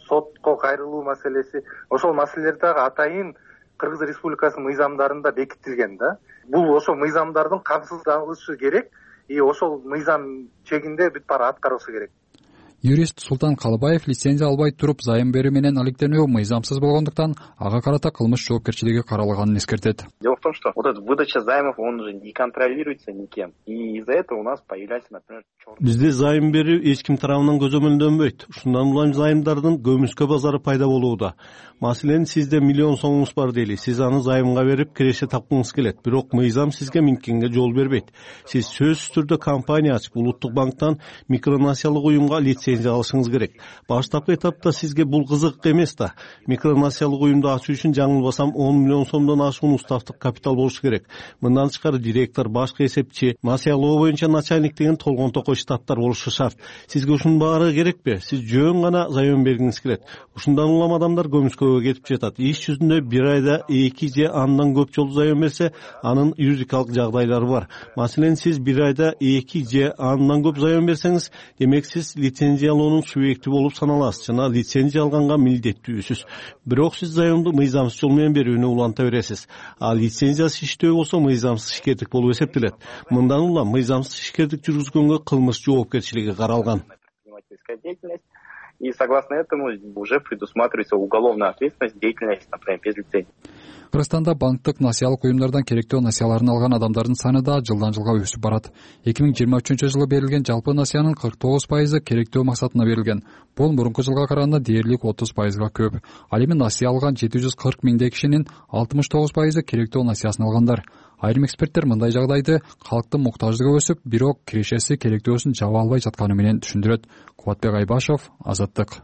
сотко кайрылуу маселеси, ошол маселелер дагы атайын Кыргыз Республикасынын мыйзамдарында бекитилген да. Бул ошо мыйзамдардын камсыздалышы керек, ошол мыйзам чегинде бүт баары аткарылышы керек. Юрист Султан Калыбаев лицензия албай туруп зайым берүү менен алектенүү мыйзамсыз болгондуктан ага карата кылмыш жоопкерчилиги каралганын эскертет. Дело в том, что вот эта выдача займов, он уже не контролируется никем. И из-за этого у нас появляется, например, Бизде зайым берүү эч ким тарабынан көзөмөлдөнбөйт. Ушундан улам зайымдардын көмүскө базары пайда болууда. Маселен, сизде миллион сомуңуз бар дейли. Сиз аны займга берип киреше тапкыңыз келет. Бирок мыйзам сизге минткенге жол бербейт. Сиз сөзсүз түрдө компания ачып, улуттук банктан микронасыялык уюмга лицензия алышыңыз керек. Баштапкы этапта сизге бул кызык эмес да. Микронасыялык уюмду ачуу үчүн жаңылбасам 10 миллион сомдон ашуун уставдык капитал болушу керек. Мындан тышкары директор, башкы эсепчи, насыялоо боюнча начальник деген толгон-токой штаттар болушу шарт. Сизге ушунун баары керекпи? Сиз жөн гана заем бергиңиз келет. Ушундан улам адамдар көмүскөгө кетип жатат. Иш жүзүндө бир айда 2 же андан көп жолу заем берсе, анын юридикалык жагдайлары бар. Маселен, сиз бир айда 2 же андан көп заем берсеңиз, демек сиз лицензиялоонун субъекти болуп саналасыз жана лицензия алганга милдеттүүсүз. Бирок сиз заемду мыйзамсыз жол менен берүүнү уланта бересиз. А лицензиясыз иштөө болсо мыйзамсыз ишкердик болуп эсептелет. Мындан улам мыйзамсыз ишкердик жүргүзгөнгө кылмыш жоопкерчилиги каралган. И согласно этому уже предусматривается уголовная ответственность деятельности, например, без лицензии. Кыргызстанда банктык насыялык уюмдардан керектөө насыяларын алган адамдардын саны да жылдан жылга өсүп барат. 2023-жылы берилген жалпы насыянын 49% керектөө максатына берилген. Бул мурунку жылга караганда дээрлик 30%га көп. Ал эми насыя алган 740 миңдей кишинин 69% керектөө насыясын алгандар. Айрым эксперттер мындай жагдайды калктын муктаждыгы өсүп, бирок кирешеси керектөөсүн жаба албай жатканы менен түшүндүрөт. Кубатбек Айбашов, Азаттык.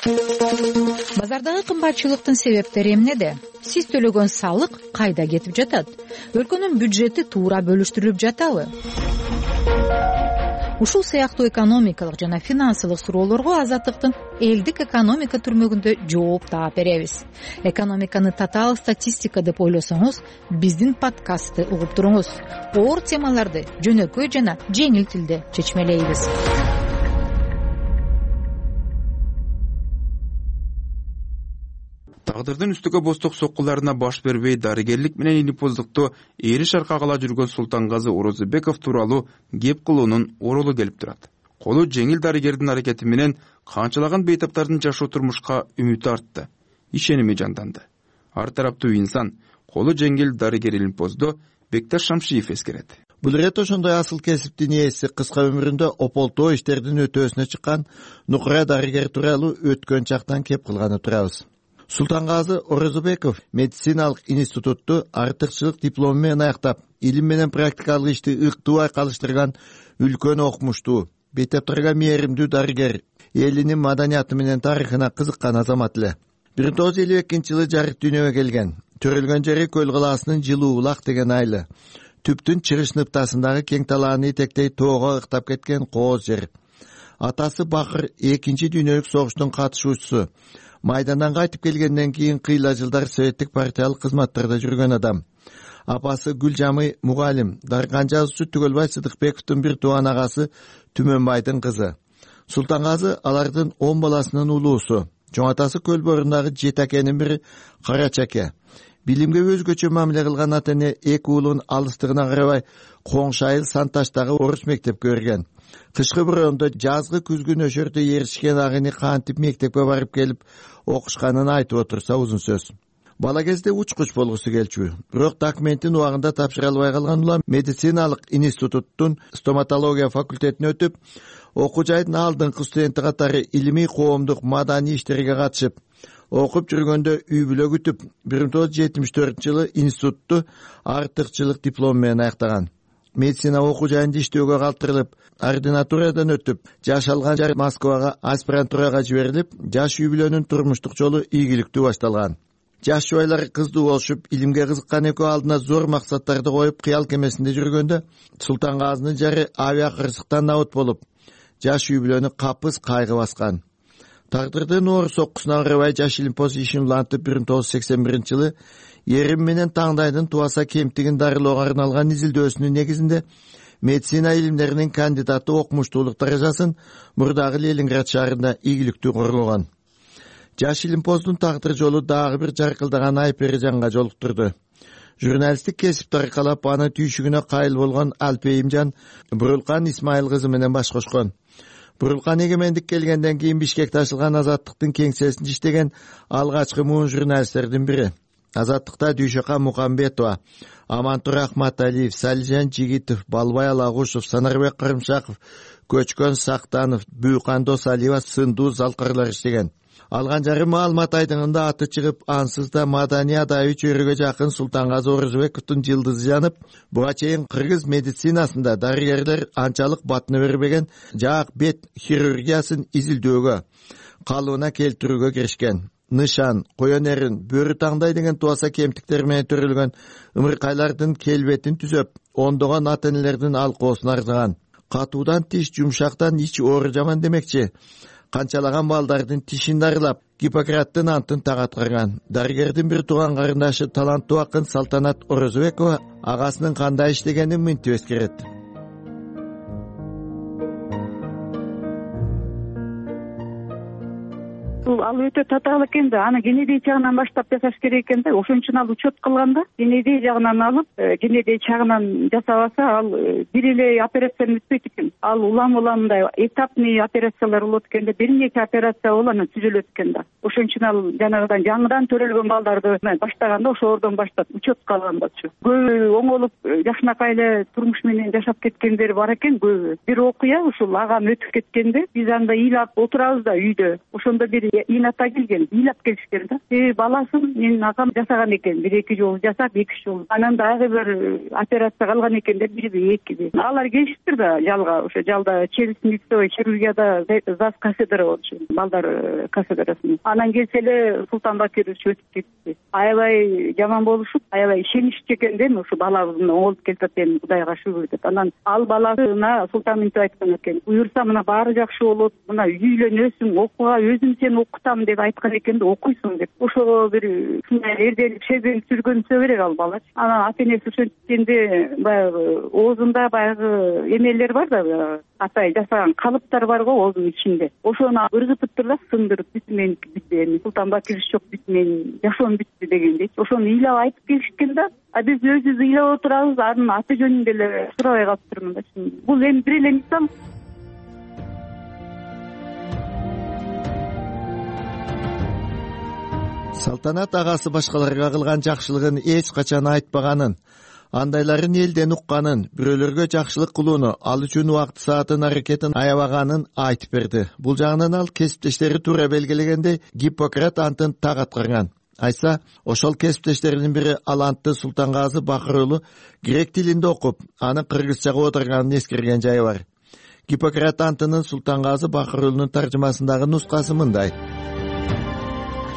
Базардагы кымбатчылыктын себептери эмнеде? Сиз төлөгөн салык кайда кетип жатат? Өлкөнүн бюджети туура бөлүштүрүлүп жатабы? Ушул сыяктуу экономикалык жана финансылык суроолорго Азаттыктын элдик экономика түрмөгүндө жооп таап беребиз. Экономиканы татаал статистика деп ойлосоңуз, биздин подкастты угуп туруңуз. Оор темаларды жөнөкөй жана жеңил тилде чечмелейбиз. Тагдырдын үстүгө бостук соккуларына баш бербей дарыгерлик менен илипоздукту эри шаркагала жүргөн Султангазы Орозбеков тууралуу кеп кылуунун оролу келип турат. Колу жеңил дарыгердин аракети менен канчалаган бейтаптардын жашоо турмушка үмүтү артты, ишеними жанданды. Ар тараптуу инсан колу жеңил дарыгер илипозду Бекташ Шамшиев эскерет. Бул ирет ошондой асыл кесиптин ээси кыска өмүрүндө ополтоо иштердин өтөөсүнө чыккан нукура дарыгер тууралуу өткөн чактан кеп кылганы турабыз. Султангазы Орозбеков медициналык институтту артыкчылык диплому менен аяктап, илим менен практикалык ишти ыктуу айкалыштырган үлкөн окумуштуу, бейтаптарга мээримдүү дарыгер, элинин маданияты менен тарыхына кызыккан азамат эле. 1952-жылы жарык дүйнөгө келген. Төрөлгөн жери Көл калаасынын Жылуу Булак деген айылы. Түптүн чыгыш ныктасындагы кең талааны этектей тоого ыктап кеткен кооз жер. Атасы Бакыр 2 дүйнөлүк согуштун катышуучусу. Майдандан кайтып келгенден кийин кыйла жылдар советтик партиялык кызматтарда жүргөн адам. Апасы Гүлжамый мугалим, дарыган жазуучу Түгөлбай Сыдыкбековдун бир тууган агасы Түмөнбайдын кызы. Султангазы алардын 10 баласынын улуусу. Чоң атасы көл борундагы 7 акенин бири Карача аке. Билимге өзгөчө мамиле кылган ата эне 2 уулун алыстыгына карабай Коңшайыл Санташтагы орус мектепке берген. Кышкы бороондо жазгы күзгү нөшөрдө еришкен агыны кантип мектепке барып келип окушканын айтып отурса узун сөз. Бала кезде учкуч болгусу келчү. Бирок документин убагында тапшыра албай калган улам медициналык институттун стоматология факультетине өтүп, окуу жайдын алдыңкы студенти катары илимий коомдук маданий иштерге катышып, окуп жүргөндө үй бүлө күтүп 1974-жылы институтту артыкчылык диплом менен аяктаган. Медицина окуу жайында иштөөгө калтырылып, ординатурадан өтүп, жаш алган жер Москвага аспирантурага жиберилип, жаш үй бүлөнүн турмуштук жолу ийгиликтүү башталган. Жаш жубайлар кыздуу болушуп, илимге кызыккан экөө алдына зор максаттарды коюп, кыял кемесинде жүргөндө Султангазынын жары авиакырсыктан набыт болуп, жаш үй бүлөнү капыс кайгы баскан. Тагдырдын оор соккусуна карабай жаш илимпоз ишин улантып 1981-жылы эрим менен таңдайдын тубаса кемтигин дарылоого арналган изилдөөсүнүн негизинде медицина илимдеринин кандидаты окумуштуулук даражасын мурдагы Ленинград шаарында ийгиликтүү коргогон. Жаш илимпоздун тагдыр жолу дагы бир жаркылдаган Айперижанга жолуктурду. Журналисттик кесипти аркалап аны түйшүгүнө кайыл болгон Алпейимжан Бурулкан Исмайыл кызы менен баш кошкон. Бурулкан эгемендик келгенден кийин Бишкекте ачылган Азаттыктын кеңсесинде иштеген алгачкы муун журналисттердин бири. Азаттыкта Дүйшөка Мукамбетова, Амантур Ахматалиев, Салижан Жигитов, Балбай Алагушев, Санарбек Карымшаков, Көчкөн Сактанов, Бүйкан Досалиева сындуу залкарлар иштеген. Алган жары маалымат айдыңында аты чыгып, ансыз да маданий адайы чөйрөгө жакын Султангазы Орозбековдун жылдызы жанып, буга чейин кыргыз медицинасында дарыгерлер анчалык батына бербеген жаак бет хирургиясын изилдөөгө, калыбына келтирүүгө киришкен. Нышан, коен эрин, бөрү таңдай деген туаса кемтиктер менен төрөлгөн ымыркайлардын келбетин түзөп, ондогон ата энелердин алкоосун арзыган. Катуудан тиш, жумшактан ич оору жаман демекчи. Канчалаган балдардын тишин дарылап, Гиппократтын антын тагатырган. Дарыгердин бир тууган карындашы таланттуу акын Салтанат Орозбекова агасынын кандай иштегенин мынтип эскерет. Ал өтө татаал экен да, аны генедий жагынан баштап жасаш керек экен да. Ошон үчүн ал учет кылганда генедий жагынан алып, генедий жагынан жасабаса, ал бир эле операцияны бүтпөйт экен. Ал улам мындай этапный операциялар болот экен да, бир нече операция болуп анан түзүлөт экен да. Ошон үчүн ал жанагыдан жаңыдан төрөлгөн балдарды баштаганда ошолордон баштап учетко алгандачы. Көбү оңолуп жакшынакай эле турмуш менен жашап кеткендер бар экен көбү. Бир окуя ушул агам өтүп кеткенде биз анда ыйлап отурабыз да үйдө. Ошондо бир ата келген, ыйлап келишкен да. Баласын менин агам жасаган экен, 1-2 жолу жасап, 2 жолу. Анан дагы бир операция калган экен деп, 1-2. Алар келишиптир да жалга, ошо жалда челюстно-лицевой хирургияда ЗАЗ кафедра болчу, балдар кафедрасында. Анан келсе эле Султан Бакирович өтүп кетти. Аябай жаман болушуп, аябай ишеничти экен да, ушу балабыздын оңолуп келатат эми, Кудайга шүгүр деп. Анан ал баласына Султан мынтип айткан экен, буюрса мына баары жакшы болот, мына үйлөнөсүң, окууга өзүм сени окутам деп айткан экен да, окуйсуң деп. Ошого бир ушундай эрделик сезим сүргөнсө керек ал бала. Анан ата энеси ошенткенде баягы оозунда баягы эмелер бар да, атай жасаган калыптар бар го оозунун ичинде. Ошону ыргытыптыр да, сындырып, бүт меники бүт, Султан Бакирович жок, бүт менин жашоом бүттү дегендей. Ошону ыйлап айтып келишкен да. Биз өзүбүз ыйлап отурабыз, анын аты жөнүндө эле сурабай калыптырмын да. Бул эми бир эле мисал. Салтанат агасы башкаларга кылган жакшылыгын эч качан айтпаганын, андайларын элден укканын, бирөөлөргө жакшылык кылууну, ал үчүн убакыт саатын аракетин аябаганын айтып берди. Бул жагынан ал кесиптештери туура белгилегендей Гиппократ антын так аткарган. Айтса, ошол кесиптештеринин бири Алантты Султангазы Бакыр уулу грек тилинде окуп, аны кыргызчага отурганын эскерген жайы бар. Гиппократ антынын Султангазы Бакыр уулунун таржымасындагы нускасы мындай: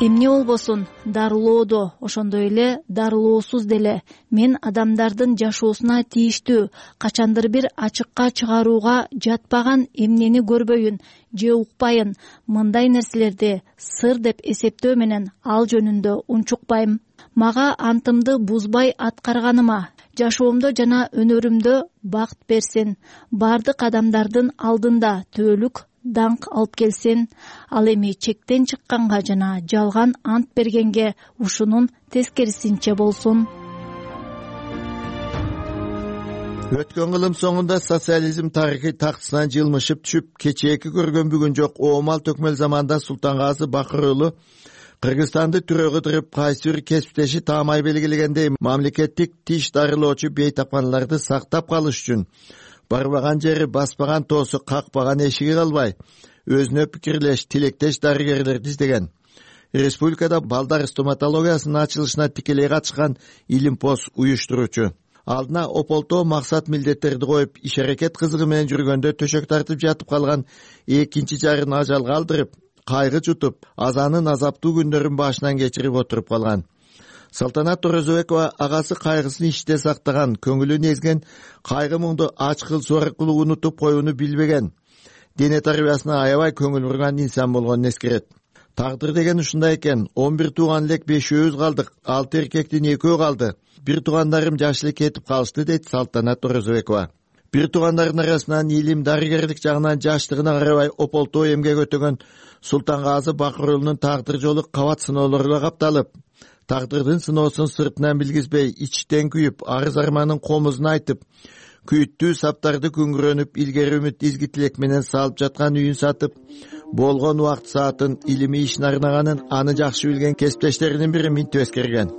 эмне болбосун, дарылоодо, ошондой эле дарылоосуз деле мен адамдардын жашоосуна тийиштүү качандыр бир ачыкка чыгарууга жатпаган эмнени көрбөйүн же укпайын, мындай нерселерди сыр деп эсептөө менен ал жөнүндө унчукпайм. Мага антымды бузбай аткарганыма, жашоомдо жана өнөрүмдө бакыт берсин. Бардык адамдардын алдында төөлүк даңк алып келсин. Ал эми чектен чыкканга жана жалган ант бергенге ушунун тескерисинче болсун. Өткөн кылым соңунда социализм тарыхый тактысынан жылмышып түшүп, кечээки көргөн бүгүн жок оомал төкмөл заманда Султангазы Бакыр уулу Кыргызстанды түрө кыдырып, кайсы бир кесиптеши таамай белгилегендей мамлекеттик тиш дарылоочу бейтапканларды сактап калыш үчүн барбаган жери, баспаган тоосу, какпаган эшиги калбай, өзүнө пикирлеш, тилектеш дарыгерлерди издеген. Республикада балдар стоматологиясынын ачылышына тикелей катышкан Илимпоз уюштуруучу. Алдына ополтоо максат милдеттерди коюп, иш-аракет кызыгы менен жүргөндө төшөк тартып жатып калган экинчи жарын ажалга алдырып, кайгы жутуп, азанын азаптуу күндөрүн башынан кечирип отуруп калган. Салтанат Орозобекова агасы кайгысын ичте сактаган, көңүлүн эзген, кайгы муңду ачкылсуу аркылуу унутуп коюуну билбеген, дене тарбиясына аябай көңүл бурган инсан болгонун эскерет. Тагдыр деген ушундай экен. 11 тууган элек 5 калдык, 6 эркектин 2 калды. Бир туугандарым жаш эле кетип калышты, дейт Салтанат Орозобекова. Бир туугандардын арасынан илим, дарыгерлик жагынан жаштыгына карабай ополтоо эмгек өтөгөн Султангазы Бакыр уулунун тагдыр жолу кабат сыноолорго капталып, тагдырдын сыноосун сыртынан билгизбей, ичтен күйүп, арыз арманын комузун айтып, күйүттүү саптарды күңгүрөнүп, илгери үмүт, изги тилек менен салып жаткан үйүн сатып, болгон убакыт саатын илимий ишине арнаганын аны жакшы билген кесиптештеринин бири минтип эскерген.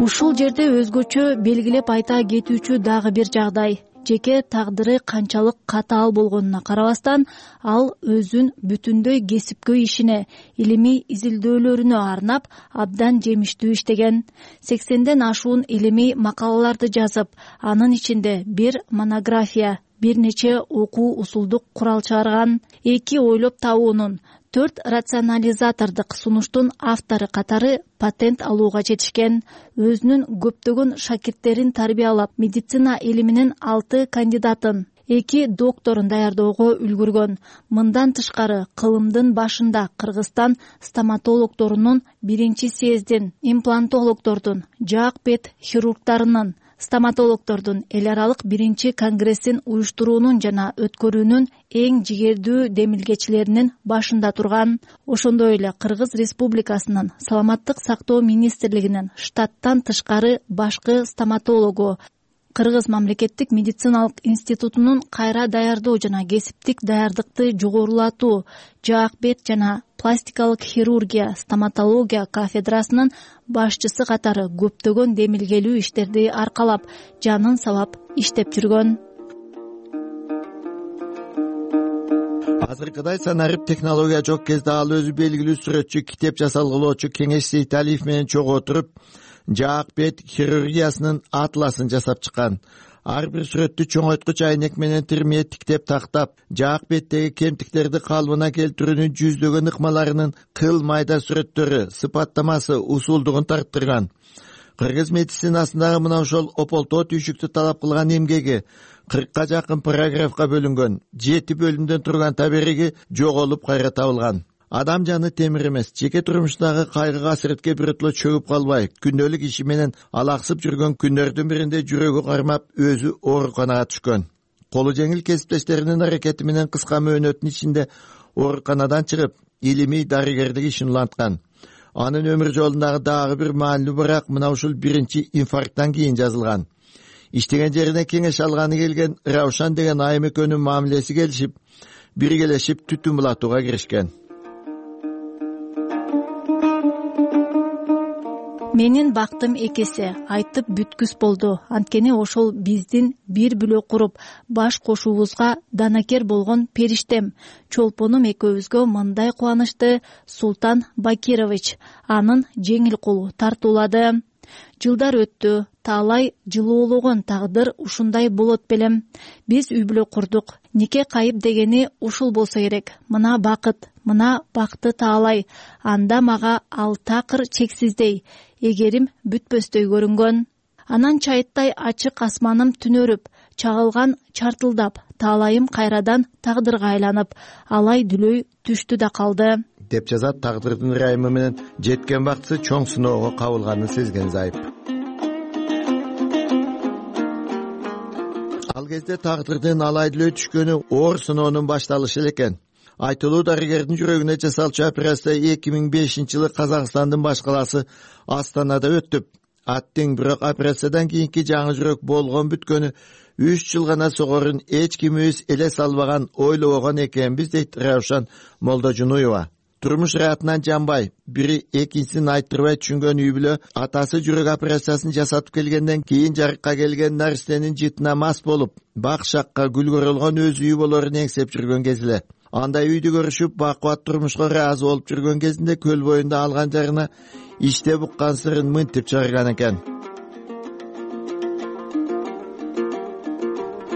Ушул жерде өзгөчө белгилеп айта кетүүчү дагы бир жагдай. Жеке тагдыры канчалык катаал болгонуна карабастан, ал өзүн бүтүндөй кесипкөй ишине, илимий изилдөөлөрүнө арнап, абдан жемиштүү иштеген. 80ден ашуун илимий макалаларды жазып, анын ичинде бир монография, бир нече окуу усулдук курал чыгарган. 2 ойлоп табуунун, 4 рационализатордук сунуштун автору катары патент алууга жетишкен. Өзүнүн көптөгөн шакирттерин тарбиялап, медицина илиминин 6 кандидатын, 2 докторун даярдоого үлгүргөн. Мындан тышкары, кылымдын башында Кыргызстан стоматологдорунун 1-съездин, имплантологдордун, жаак бет хирургдарынын, стоматологдордун эл аралык 1-конгрессин уюштуруунун жана өткөрүүнүн эң жигердүү демилгечилеринин башында турган. Ошондой эле Кыргыз Республикасынын Саламаттык сактоо министрлигинин штаттан тышкары башкы стоматологу, Кыргыз мамлекеттик медициналык институтунун кайра даярдоо жана кесиптик даярдыкты жогорулатуу, жаак бет жана пластикалык хирургия, стоматология кафедрасынын башчысы катары көптөгөн демилгелүү иштерди аркалап, жанын салап иштеп жүргөн. Азыркыдай санарып технология жок кезде ал өзү белгилүү сүрөтчү, китеп жасалгылоочу Кеңеш Сейталиев менен чогуу отуруп, жаак бет хирургиясынын атласын жасап чыккан. Ар бир сүрөттү чоңойткуч айнек менен тирмее тиктеп тактап, жаак беттеги кемтиктерди калыбына келтирүүнүн жүздөгөн ыкмаларынын кыл майда сүрөттөрү, сыпаттамасы, усулдугун тарттырган. Кыргыз медицинасындагы мына ошол ополтоо түйшүктү талап кылган эмгеги 40ка жакын параграфка бөлүнгөн, 7 бөлүмдөн турган табериги жоголуп кайра табылган. Адам жаны темир эмес, жеке турмушундагы кайгы касиретке биротоло чөгүп калбай, күндөлүк иши менен алаксып жүргөн күндөрдүн биринде жүрөгү кармап, өзү ооруканага түшкөн. Колу жеңил кесиптештеринин аракети менен кыска мөөнөттүн ичинде ооруканадан чыгып, илимий дарыгерлик ишин уланткан. Анын өмүр жолундагы дагы бир маанилүү бирок мына ушул 1-инфаркттан кийин жазылган. Иштеген жерине кеңеш алганы келген Раушан деген айым экөөнүн мамилеси келишип, биргелешип түтүн булатууга киришкен. Менин бактым экесе, айтып бүткүс болду. Анткени ошол биздин бир бүлөк куруп, баш кошуубузга данакер болгон периштем, чолпонум экөөбүзгө мындай кубанычты Султан Бакирович, анын жеңил колу тартуулады. Жылдар өттү, таалай жылоологон тагдыр ушундай болот белем. Биз үй бүлө курдук. Нике кайып дегени ушул болсо керек. Мына бакты таалай. Анда мага ал такыр чексиздей, эгерим бүтпөстөй көрүнгөн. Анан чайыттай ачык асманым түнөрүп, чагылган чартылдап, таалайым кайрадан тагдырга айланып, алай дүлөй түштү да калды, деп жазат тагдырдын ырайымы менен жеткен бактысы чоң сыноого кабылганын сезген Зайып. Ал кезде тагдырдын алайдылөө түшкөнү оор сыноонун башталышы экен. Айтылуу дарыгердин жүрөгүнө жасалчу операция 2005-жылы Казакстандын баш калаасы Астанада өттүп. Аттың бирок операциядан кийинки жаңы жүрөк болгон бүткөнү 3 жыл гана согорун эч кимибиз эле салбаган, ойлобогон экенбиз, дейт Раушан Молдожунуева. Турмуш ыраатынан жанбай, бири экинчисин айттырбай түшүнгөн үй бүлө атасы жүрөк операциясын жасатып келгенден кийин жарыкка келген нарсенин жытына мас болуп, бак шакка гүл көрөлгөн өз үйү болорун эңсеп жүргөн кезиле. Андай үйдү көрүшүп, бакубат турмушка ыраазы болуп жүргөн кезинде көл боюнда алган жарына иште буккан сырын мынтип чыгарган экен.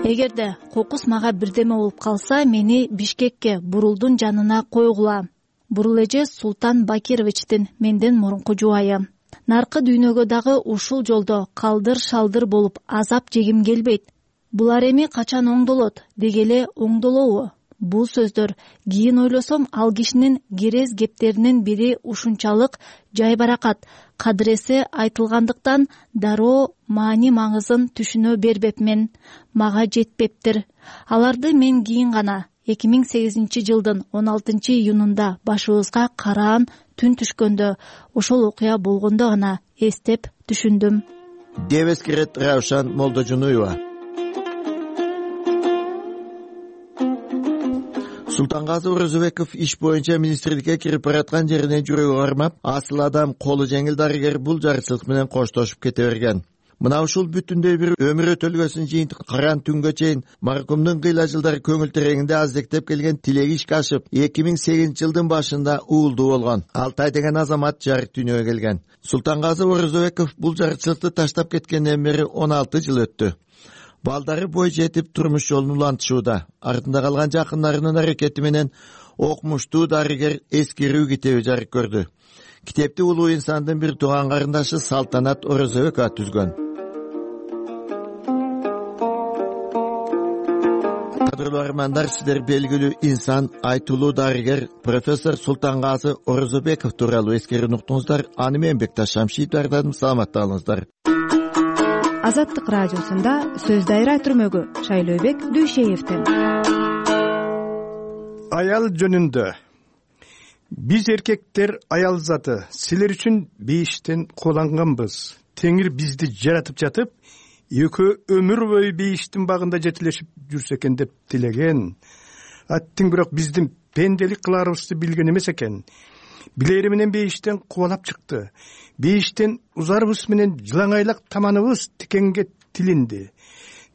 Эгерде кокус мага бирдеме болуп калса, мени Бишкекке, Бурулдун жанына койгула. Бурул эже Султан Бакировичтин менден мурунку жубайы. Наркы дүйнөгө дагы ушул жолдо калдыр-шалдыр болуп азап жегим келбейт. Булар эми качан оңдолот, дегеле оңдолобу? Бул сөздөр кийин ойлосом, ал кишинин керез кептеринин бири ушунчалык жайбаракат, кадыресе айтылгандыктан дароо маани маңызын түшүнө бербепмен. Мага жетпептир. Аларды мен кийин гана 2008-жылдын 16-июнунда башыбызга караан түн түшкөндө, ошол окуя болгондо гана эстеп түшүндүм. деп эскерет Раушан Молдожунуева. Султангазы Орозбеков иш боюнча министрликке кирип бараткан жерине жүрөгү кармап, асыл адам, колу жеңил дарыгер бул жарычылык менен коштошуп кете берген. Мына ушул бүтүндөй бир өмүр өтөлгөсүн жыйынтык караан түнгө чейин маркумдун кыйла жылдар көңүл тереңинде аздектеп келген тилеги ишке ашып, 2008-жылдын башында уулдуу болгон. Алтай деген азамат жарык дүйнөгө келген. Султангазы Орозбеков бул жарычылыкты таштап кеткенден бери 16 жыл өттү. Балдары бой жетип турмуш жолун улантышууда. Артында калган жакындарынын аракети менен окмуштуу дарыгер эскерүү китеби жарык көрдү. Китепти улуу инсандын бир тууган карындашы Салтанат Орозбекова түзгөн. Кадырлуу армандар, сиздер белгилүү инсан, айтылуу дарыгер профессор Султангазы Орозбеков тууралуу эскерүүнү уктуңуздар. Аны мен Бекташ Шамшиев даярдадым. Саламатта калыңыздар. Азаттык радиосунда сөз дайра түрмөгү Шайлообек Дүйшеевден. Аял жөнүндө. Биз эркектер аял заты, силер үчүн бейиштен кууланганбыз. Теңир бизди жаратып жатып, экөө өмүр бою бейиштин багында жетилешип жүрсө экен деп тилеген. Аттың бирок биздин пенделик кыларыбызды билген эмес экен. Билери менен бейиштен кубалап чыкты. Бейиштен узарыбыз менен жылаңайлак таманыбыз тикенге тилинди.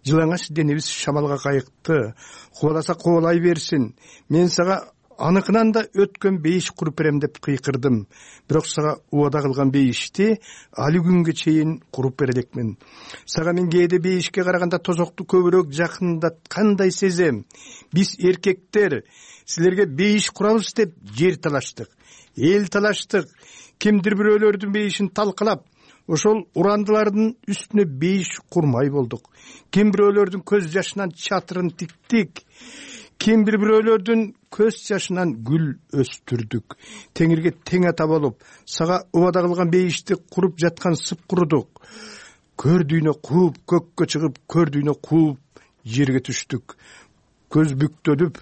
Жылаңач денебиз шамалга кайыкты. Кубаласа кубалай берсин. Мен сага аныкынан да өткөн бейиш куруп берем деп кыйкырдым. Бирок сага убада кылган бейишти али күнгө чейин куруп бере элекмин. Сага мен кээде бейишке караганда тозокту көбүрөөк жакындаткандай сезем. Биз эркектер силерге бейиш курабыз деп жер талаштык, эл талаштык. Кимдир бирөөлөрдүн бейишин талкалап, ошол урандылардын үстүнө бейиш курмай болдук. Ким бирөөлөрдүн көз жашынан чатырын тиктик. Ким бирөөлөрдүн көз жашынан гүл өстүрдүк. Теңирге тең ата болуп, сага убада кылган бейишти куруп жаткан сып курудук. Көрдүйнө кууп, көккө чыгып, көрдүйнө кууп, жерге түштүк. Көз бүктөлүп,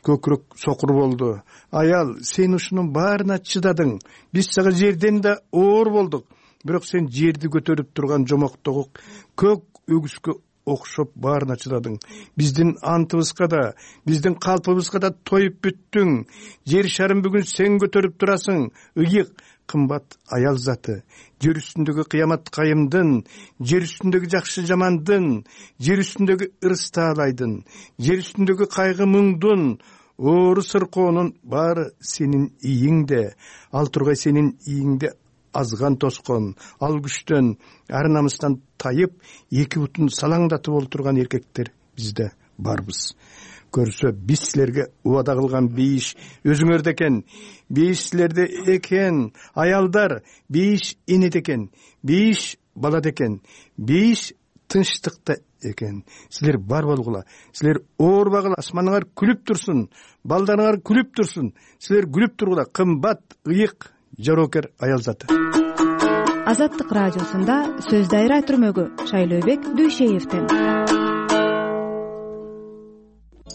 көкүрөк сокур болду. Аял, сен ушунун баарына чыдадың. Биз сага жерден да оор болдук. Бирок сен жерди көтөрүп турган жомоктогу көк өгүскө окшоп баарына чыдадың. Биздин антыбызга да, биздин калпыбызга да тоюп бүттүң. Жер шарын бүгүн сен көтөрүп турасың. Ыйык, кымбат аял заты. Жер үстүндөгү кыямат кайымдын, жер үстүндөгү жакшы жамандын, жер үстүндөгү ырыс таалайдын, жер үстүндөгү кайгы муңдун, оору сыркоонун баары сенин ийиңде. Ал тургай сенин ийиңде азган тоскон, ал күчтөн, ар намыстан тайып, эки бутун салаңдатып олтурган эркектер бизде барбыз. Көрсө, биз силерге убада кылган бейиш өзүңөрдө экен. Бейиш силерде экен. Аялдар, бейиш энеде экен. Бейиш балада экен. Бейиш тынчтыкта экен. Силер бар болгула. Силер оорбагыла. Асманыңар күлүп турсун. Балдарыңар күлүп турсун. Силер күлүп тургула. Кымбат, ыйык, жароокер аял заты. Азаттык радиосунда сөз дайра түрмөгү Шайлообек Дүйшеевден.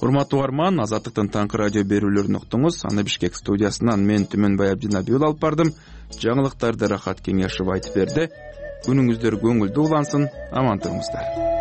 урматтуу угарман, Азаттыктын таңкы радио берүүлөрүн уктуңуз. Аны Бишкек студиясынан мен Түмөнбай Абдинабиул алып бардым. Жаңылыктарды Рахат Кеңешов айтып берди. Күнүңүздөр көңүлдүү улансын, аман туруңуздар.